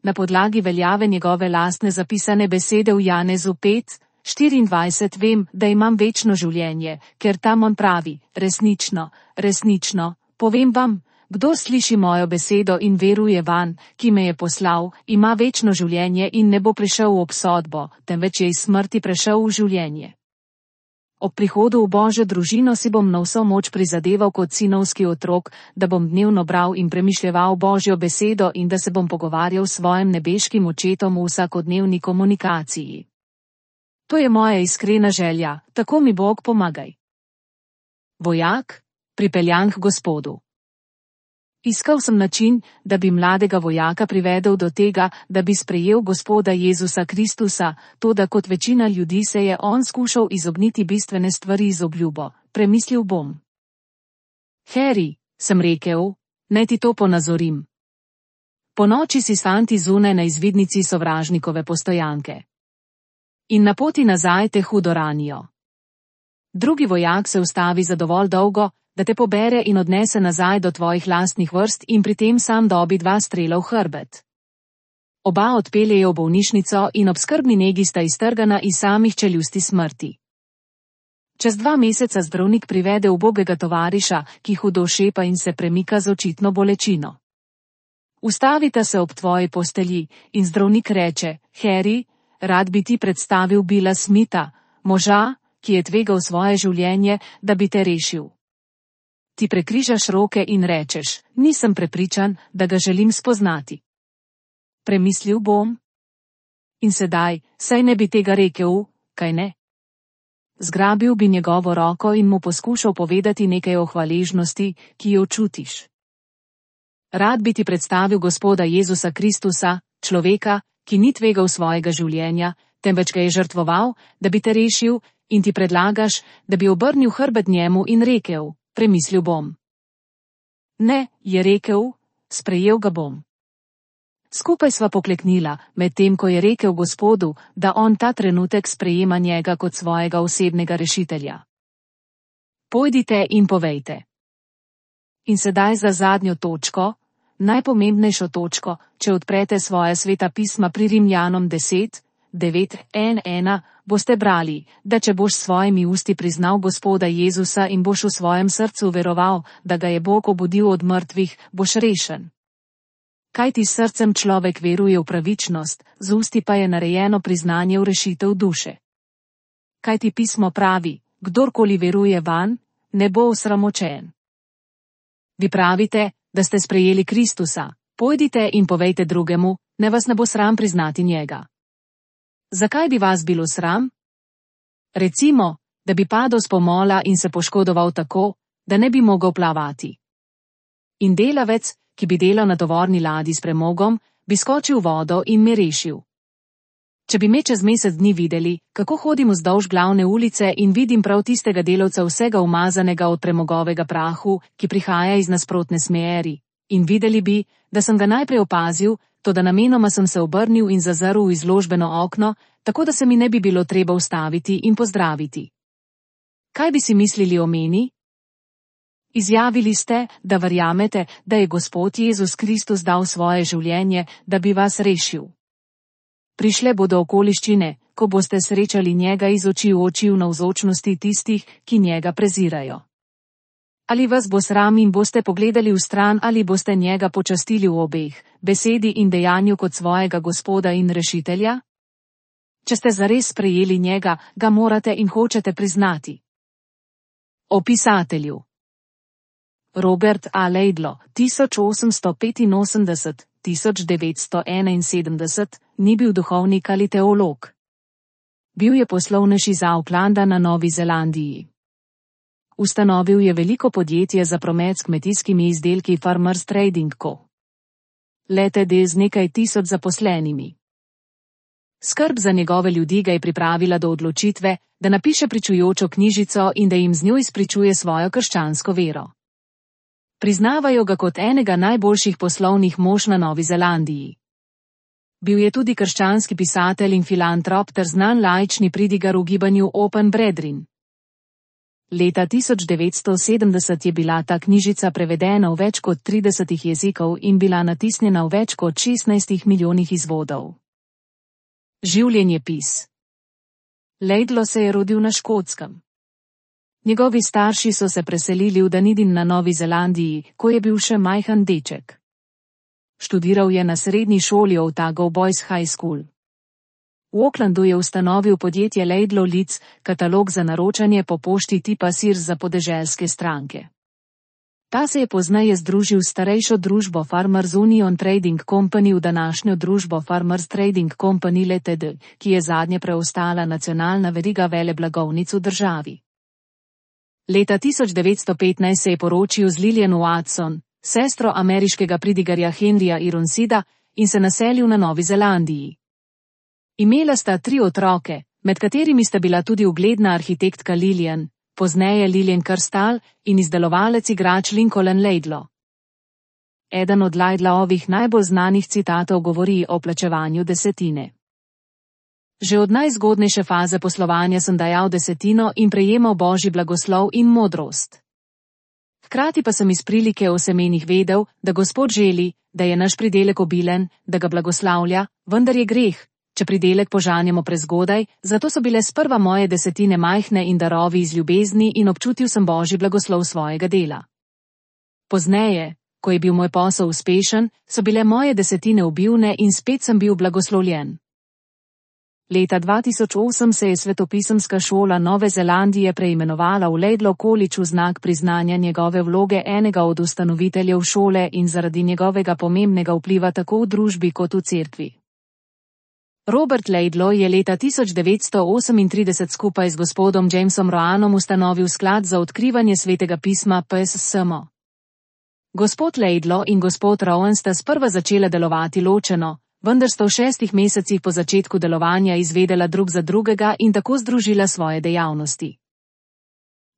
Na podlagi veljave njegove lastne zapisane besede v Janezu 5:24 vem, da imam večno življenje, ker tam on pravi: resnično, resnično, povem vam, Kdor sliši mojo besedo in veruje vanj, ki me je poslal, ima večno življenje in ne bo prišel v obsodbo, temveč je iz smrti prešel v življenje. Ob prihodu v Božjo družino si bom na vso moč prizadeval kot sinovski otrok, da bom dnevno bral in premišljeval Božjo besedo in da se bom pogovarjal s svojim nebeškim očetom v vsakodnevni komunikaciji. To je moja iskrena želja, tako mi Bog pomagaj. Vojak, pripeljan k Gospodu. Iskal sem način, da bi mladega vojaka privedel do tega, da bi sprejel Gospoda Jezusa Kristusa, toda kot večina ljudi se je on skušal izogniti bistvene stvari z obljubo, premislil bom. Harry, sem rekel, naj ti to ponazorim. Ponoči si s fanti zunaj na izvidnici sovražnikove postojanke. In na poti nazaj te hudo ranijo. Drugi vojak se ustavi za dovolj dolgo, da te pobere in odnese nazaj do tvojih lastnih vrst in pri tem sam dobi 2 strela v hrbet. Oba odpeljejo v bolnišnico in ob skrbni negi sta iztrgana iz samih čeljusti smrti. Čez 2 meseca zdravnik privede ubogega tovariša, ki hudo šepa in se premika z očitno bolečino. Ustavita se ob tvoji postelji in zdravnik reče: Harry, rad bi ti predstavil Billa Smitha, moža, ki je tvegal svoje življenje, da bi te rešil. Ti prekrižaš roke in rečeš: nisem prepričan, da ga želim spoznati. Premislil bom. In sedaj, saj ne bi tega rekel, kaj ne? Zgrabil bi njegovo roko in mu poskušal povedati nekaj o hvaležnosti, ki jo čutiš. Rad bi ti predstavil Gospoda Jezusa Kristusa, človeka, ki ni tvegal svojega življenja, temveč ga je žrtvoval, da bi te rešil, in ti predlagaš, da bi obrnil hrbet njemu in rekel: premislil bom. Ne, je rekel, sprejel ga bom. Skupaj sva pokleknila, medtem ko je rekel Gospodu, da on ta trenutek sprejema njega kot svojega osebnega rešitelja. Pojdite in povejte. In sedaj za zadnjo točko, najpomembnejšo točko, če odprete svoje sveta pisma pri Rimljanom 10:9-11, boste brali, da če boš s svojimi usti priznal Gospoda Jezusa in boš v svojem srcu veroval, da ga je Bog obudil od mrtvih, boš rešen. Kajti s srcem človek veruje v pravičnost, z usti pa je narejeno priznanje v rešitev duše. Kajti pismo pravi: kdorkoli veruje vanj, ne bo osramočen. Vi pravite, da ste sprejeli Kristusa, pojdite in povejte drugemu, ne vas ne bo sram priznati njega. Zakaj bi vas bilo sram? Recimo, da bi padel s pomola in se poškodoval tako, da ne bi mogel plavati. In delavec, ki bi delal na tovorni ladji s premogom, bi skočil v vodo in me rešil. Če bi me čez mesec dni videli, kako hodim vzdolž glavne ulice in vidim prav tistega delavca vsega umazanega od premogovega prahu, ki prihaja iz nasprotne smeri, in videli bi, da sem ga najprej opazil, toda namenoma sem se obrnil in zazrl v izložbeno okno, tako da se mi ne bi bilo treba ustaviti in pozdraviti. Kaj bi si mislili o meni? Izjavili ste, da verjamete, da je Gospod Jezus Kristus dal svoje življenje, da bi vas rešil. Prišle bodo okoliščine, ko boste srečali njega iz oči v oči v navzočnosti tistih, ki njega prezirajo. Ali vas bo sram in boste pogledali v stran ali boste njega počastili v obeh, besedi in dejanju kot svojega Gospoda in rešitelja? Če ste zares sprejeli njega, ga morate in hočete priznati. O pisatelju. Robert A. Laidlaw, 1885–1971, ni bil duhovnik ali teolog. Bil je poslovnež iz Aucklanda na Novi Zelandiji. Ustanovil je veliko podjetje za promet s kmetijskimi izdelki Farmers Trading Co. Ltd. z nekaj tisoč zaposlenimi. Skrb za njegove ljudi ga je pripravila do odločitve, da napiše pričujočo knjižico in da jim z njo izpričuje svojo krščansko vero. Priznavajo ga kot enega najboljših poslovnih mož na Novi Zelandiji. Bil je tudi krščanski pisatelj in filantrop ter znan laični pridigar v gibanju Open Brethren. Leta 1970 je bila ta knjižica prevedena v več kot 30 jezikov in bila natisnjena v več kot 16 milijonih izvodov. Življenjepis. Laidlaw se je rodil na Škotskem. Njegovi starši so se preselili v Dunedin na Novi Zelandiji, ko je bil še majhen deček. Študiral je na srednji šoli Otago Boys High School. V Aucklandu je ustanovil podjetje Laidlaw Leeds, katalog za naročanje po pošti tipa Sears za podeželske stranke. Ta se je pozneje združil s starejšo družbo Farmers Union Trading Company v današnjo družbo Farmers Trading Company Ltd., ki je zadnje preostala nacionalna veriga veleblagovnic v državi. Leta 1915 se je poročil z Lillian Watson, sestro ameriškega pridigarja Henryja Ironsida, in se naselil na Novi Zelandiji. Imela sta 3 otroke, med katerimi sta bila tudi ugledna arhitektka Lillian, pozneje Lillian Kerstal, in izdelovalec igrač Lincoln Laidlaw. Eden od Laidlawovih najbolj znanih citatov govori o plačevanju desetine. Že od najzgodnejše faze poslovanja sem dajal desetino in prejemal Božji blagoslov in modrost. Hkrati pa sem iz prilike o semenih vedel, da Gospod želi, da je naš pridelek obilen, da ga blagoslavlja, vendar je greh, če pridelek požanjamo prezgodaj, zato so bile sprva moje desetine majhne in darovi iz ljubezni in občutil sem Božji blagoslov svojega dela. Pozneje, ko je bil moj posel uspešen, so bile moje desetine obivne in spet sem bil blagoslovljen. Leta 2008 se je svetopisemska šola Nove Zelandije preimenovala v Laidlaw College v znak priznanja njegove vloge enega od ustanoviteljev šole in zaradi njegovega pomembnega vpliva tako v družbi kot v cerkvi. Robert Laidlaw je leta 1938 skupaj z gospodom Jamesom Roanom ustanovil sklad za odkrivanje svetega pisma PSSM. Gospod Laidlaw in gospod Rowan sta sprva začela delovati ločeno, vendar sta v 6 mesecih po začetku delovanja izvedela drug za drugega in tako združila svoje dejavnosti.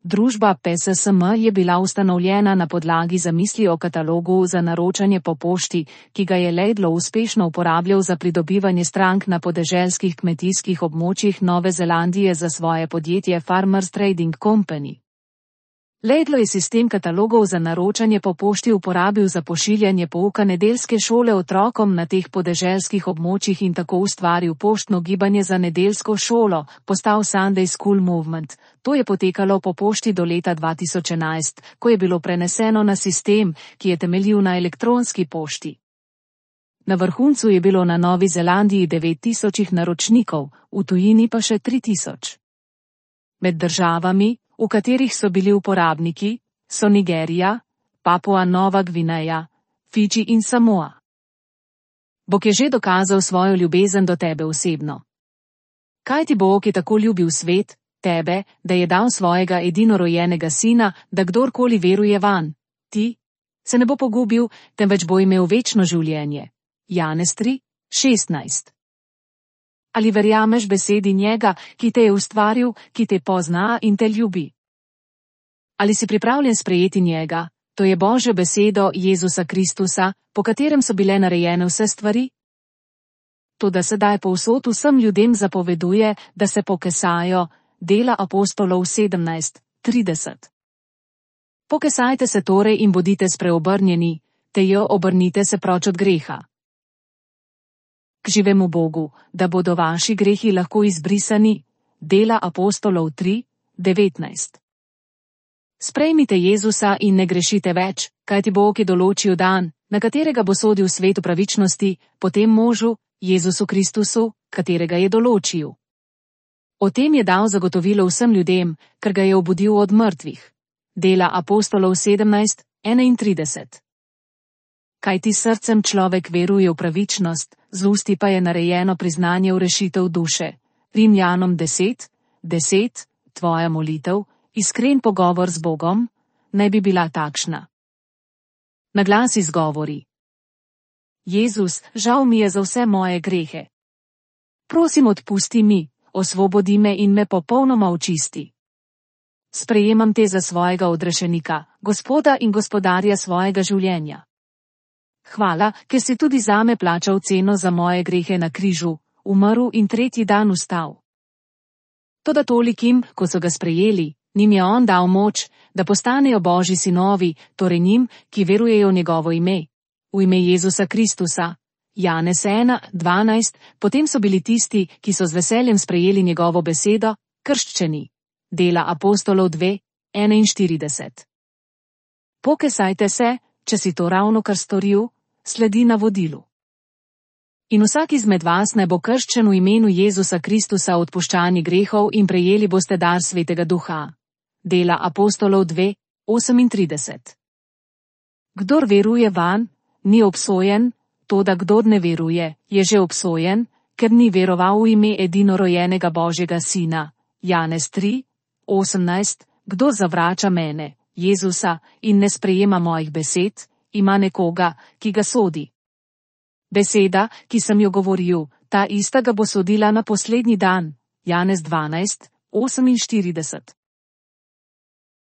Družba PSSM je bila ustanovljena na podlagi zamisli o katalogu za naročanje po pošti, ki ga je Laidlaw uspešno uporabljal za pridobivanje strank na podeželskih kmetijskih območjih Nove Zelandije za svoje podjetje Farmers Trading Company. Laidlaw je sistem katalogov za naročanje po pošti uporabil za pošiljanje pouka nedeljske šole otrokom na teh podeželskih območjih in tako ustvaril poštno gibanje za nedeljsko šolo, postal Sunday School Movement. To je potekalo po pošti do leta 2011, ko je bilo preneseno na sistem, ki je temeljil na elektronski pošti. Na vrhuncu je bilo na Novi Zelandiji 9000 naročnikov, v tujini pa še 3000. Med državami, v katerih so bili uporabniki, so Nigerija, Papua Nova Gvineja, Fidži in Samoa. Bog je že dokazal svojo ljubezen do tebe osebno. Kaj ti Bog je tako ljubil svet, tebe, da je dal svojega edinorojenega sina, da kdorkoli veruje vanj, ti, se ne bo pogubil, temveč bo imel večno življenje. Janez 3:16. Ali verjameš besedi njega, ki te je ustvaril, ki te pozna in te ljubi? Ali si pripravljen sprejeti njega, to je Božjo besedo Jezusa Kristusa, po katerem so bile narejene vse stvari? Toda sedaj povsod vsem ljudem zapoveduje, da se pokesajo, Dela apostolov 17:30. Pokesajte se torej in bodite spreobrnjeni, obrnite se proč od greha. K živemu Bogu, da bodo vaši grehi lahko izbrisani. Dela apostolov 3:19. Sprejmite Jezusa in ne grešite več, kajti Bog je določil dan, na katerega bo sodil svet v pravičnosti, po tem možu, Jezusu Kristusu, katerega je določil. O tem je dal zagotovilo vsem ljudem, ker ga je obudil od mrtvih. Dela apostolov 17:31. Kajti srcem človek veruje v pravičnost, z usti pa je narejeno priznanje v rešitev duše. Rimljanom 10:10, tvoja molitev, iskren pogovor z Bogom, naj bi bila takšna. Na glas izgovori: Jezus, žal mi je za vse moje grehe. Prosim, odpusti mi, osvobodi me in me popolnoma očisti. Sprejemam te za svojega odrešenika, Gospoda in gospodarja svojega življenja. Hvala, ker si tudi zame plačal ceno za moje grehe na križu, umrl in 3. dan vstal. Toda tolikim, ko so ga sprejeli, njim je on dal moč, da postanejo Božji sinovi, torej njim, ki verujejo v njegovo ime. V ime Jezusa Kristusa. Janez 1:12, potem so bili tisti, ki so z veseljem sprejeli njegovo besedo, krščeni. Dela apostolov 41. Pokesajte se, če si to ravno kar storil, sledi navodilu. In vsak izmed vas naj bo krščen v imenu Jezusa Kristusa odpuščani grehov in prejeli boste dar Svetega Duha. Dela apostolov 2, 38. Kdor veruje vanj, ni obsojen, toda kdor ne veruje, je že obsojen, ker ni veroval v ime edinorojenega Božjega Sina. Janez 3, 18. Kdor zavrača mene, Jezusa, in ne sprejema mojih besed, ima nekoga, ki ga sodi. Beseda, ki sem jo govoril, ta ista ga bo sodila na poslednji dan. Janez 12, 48.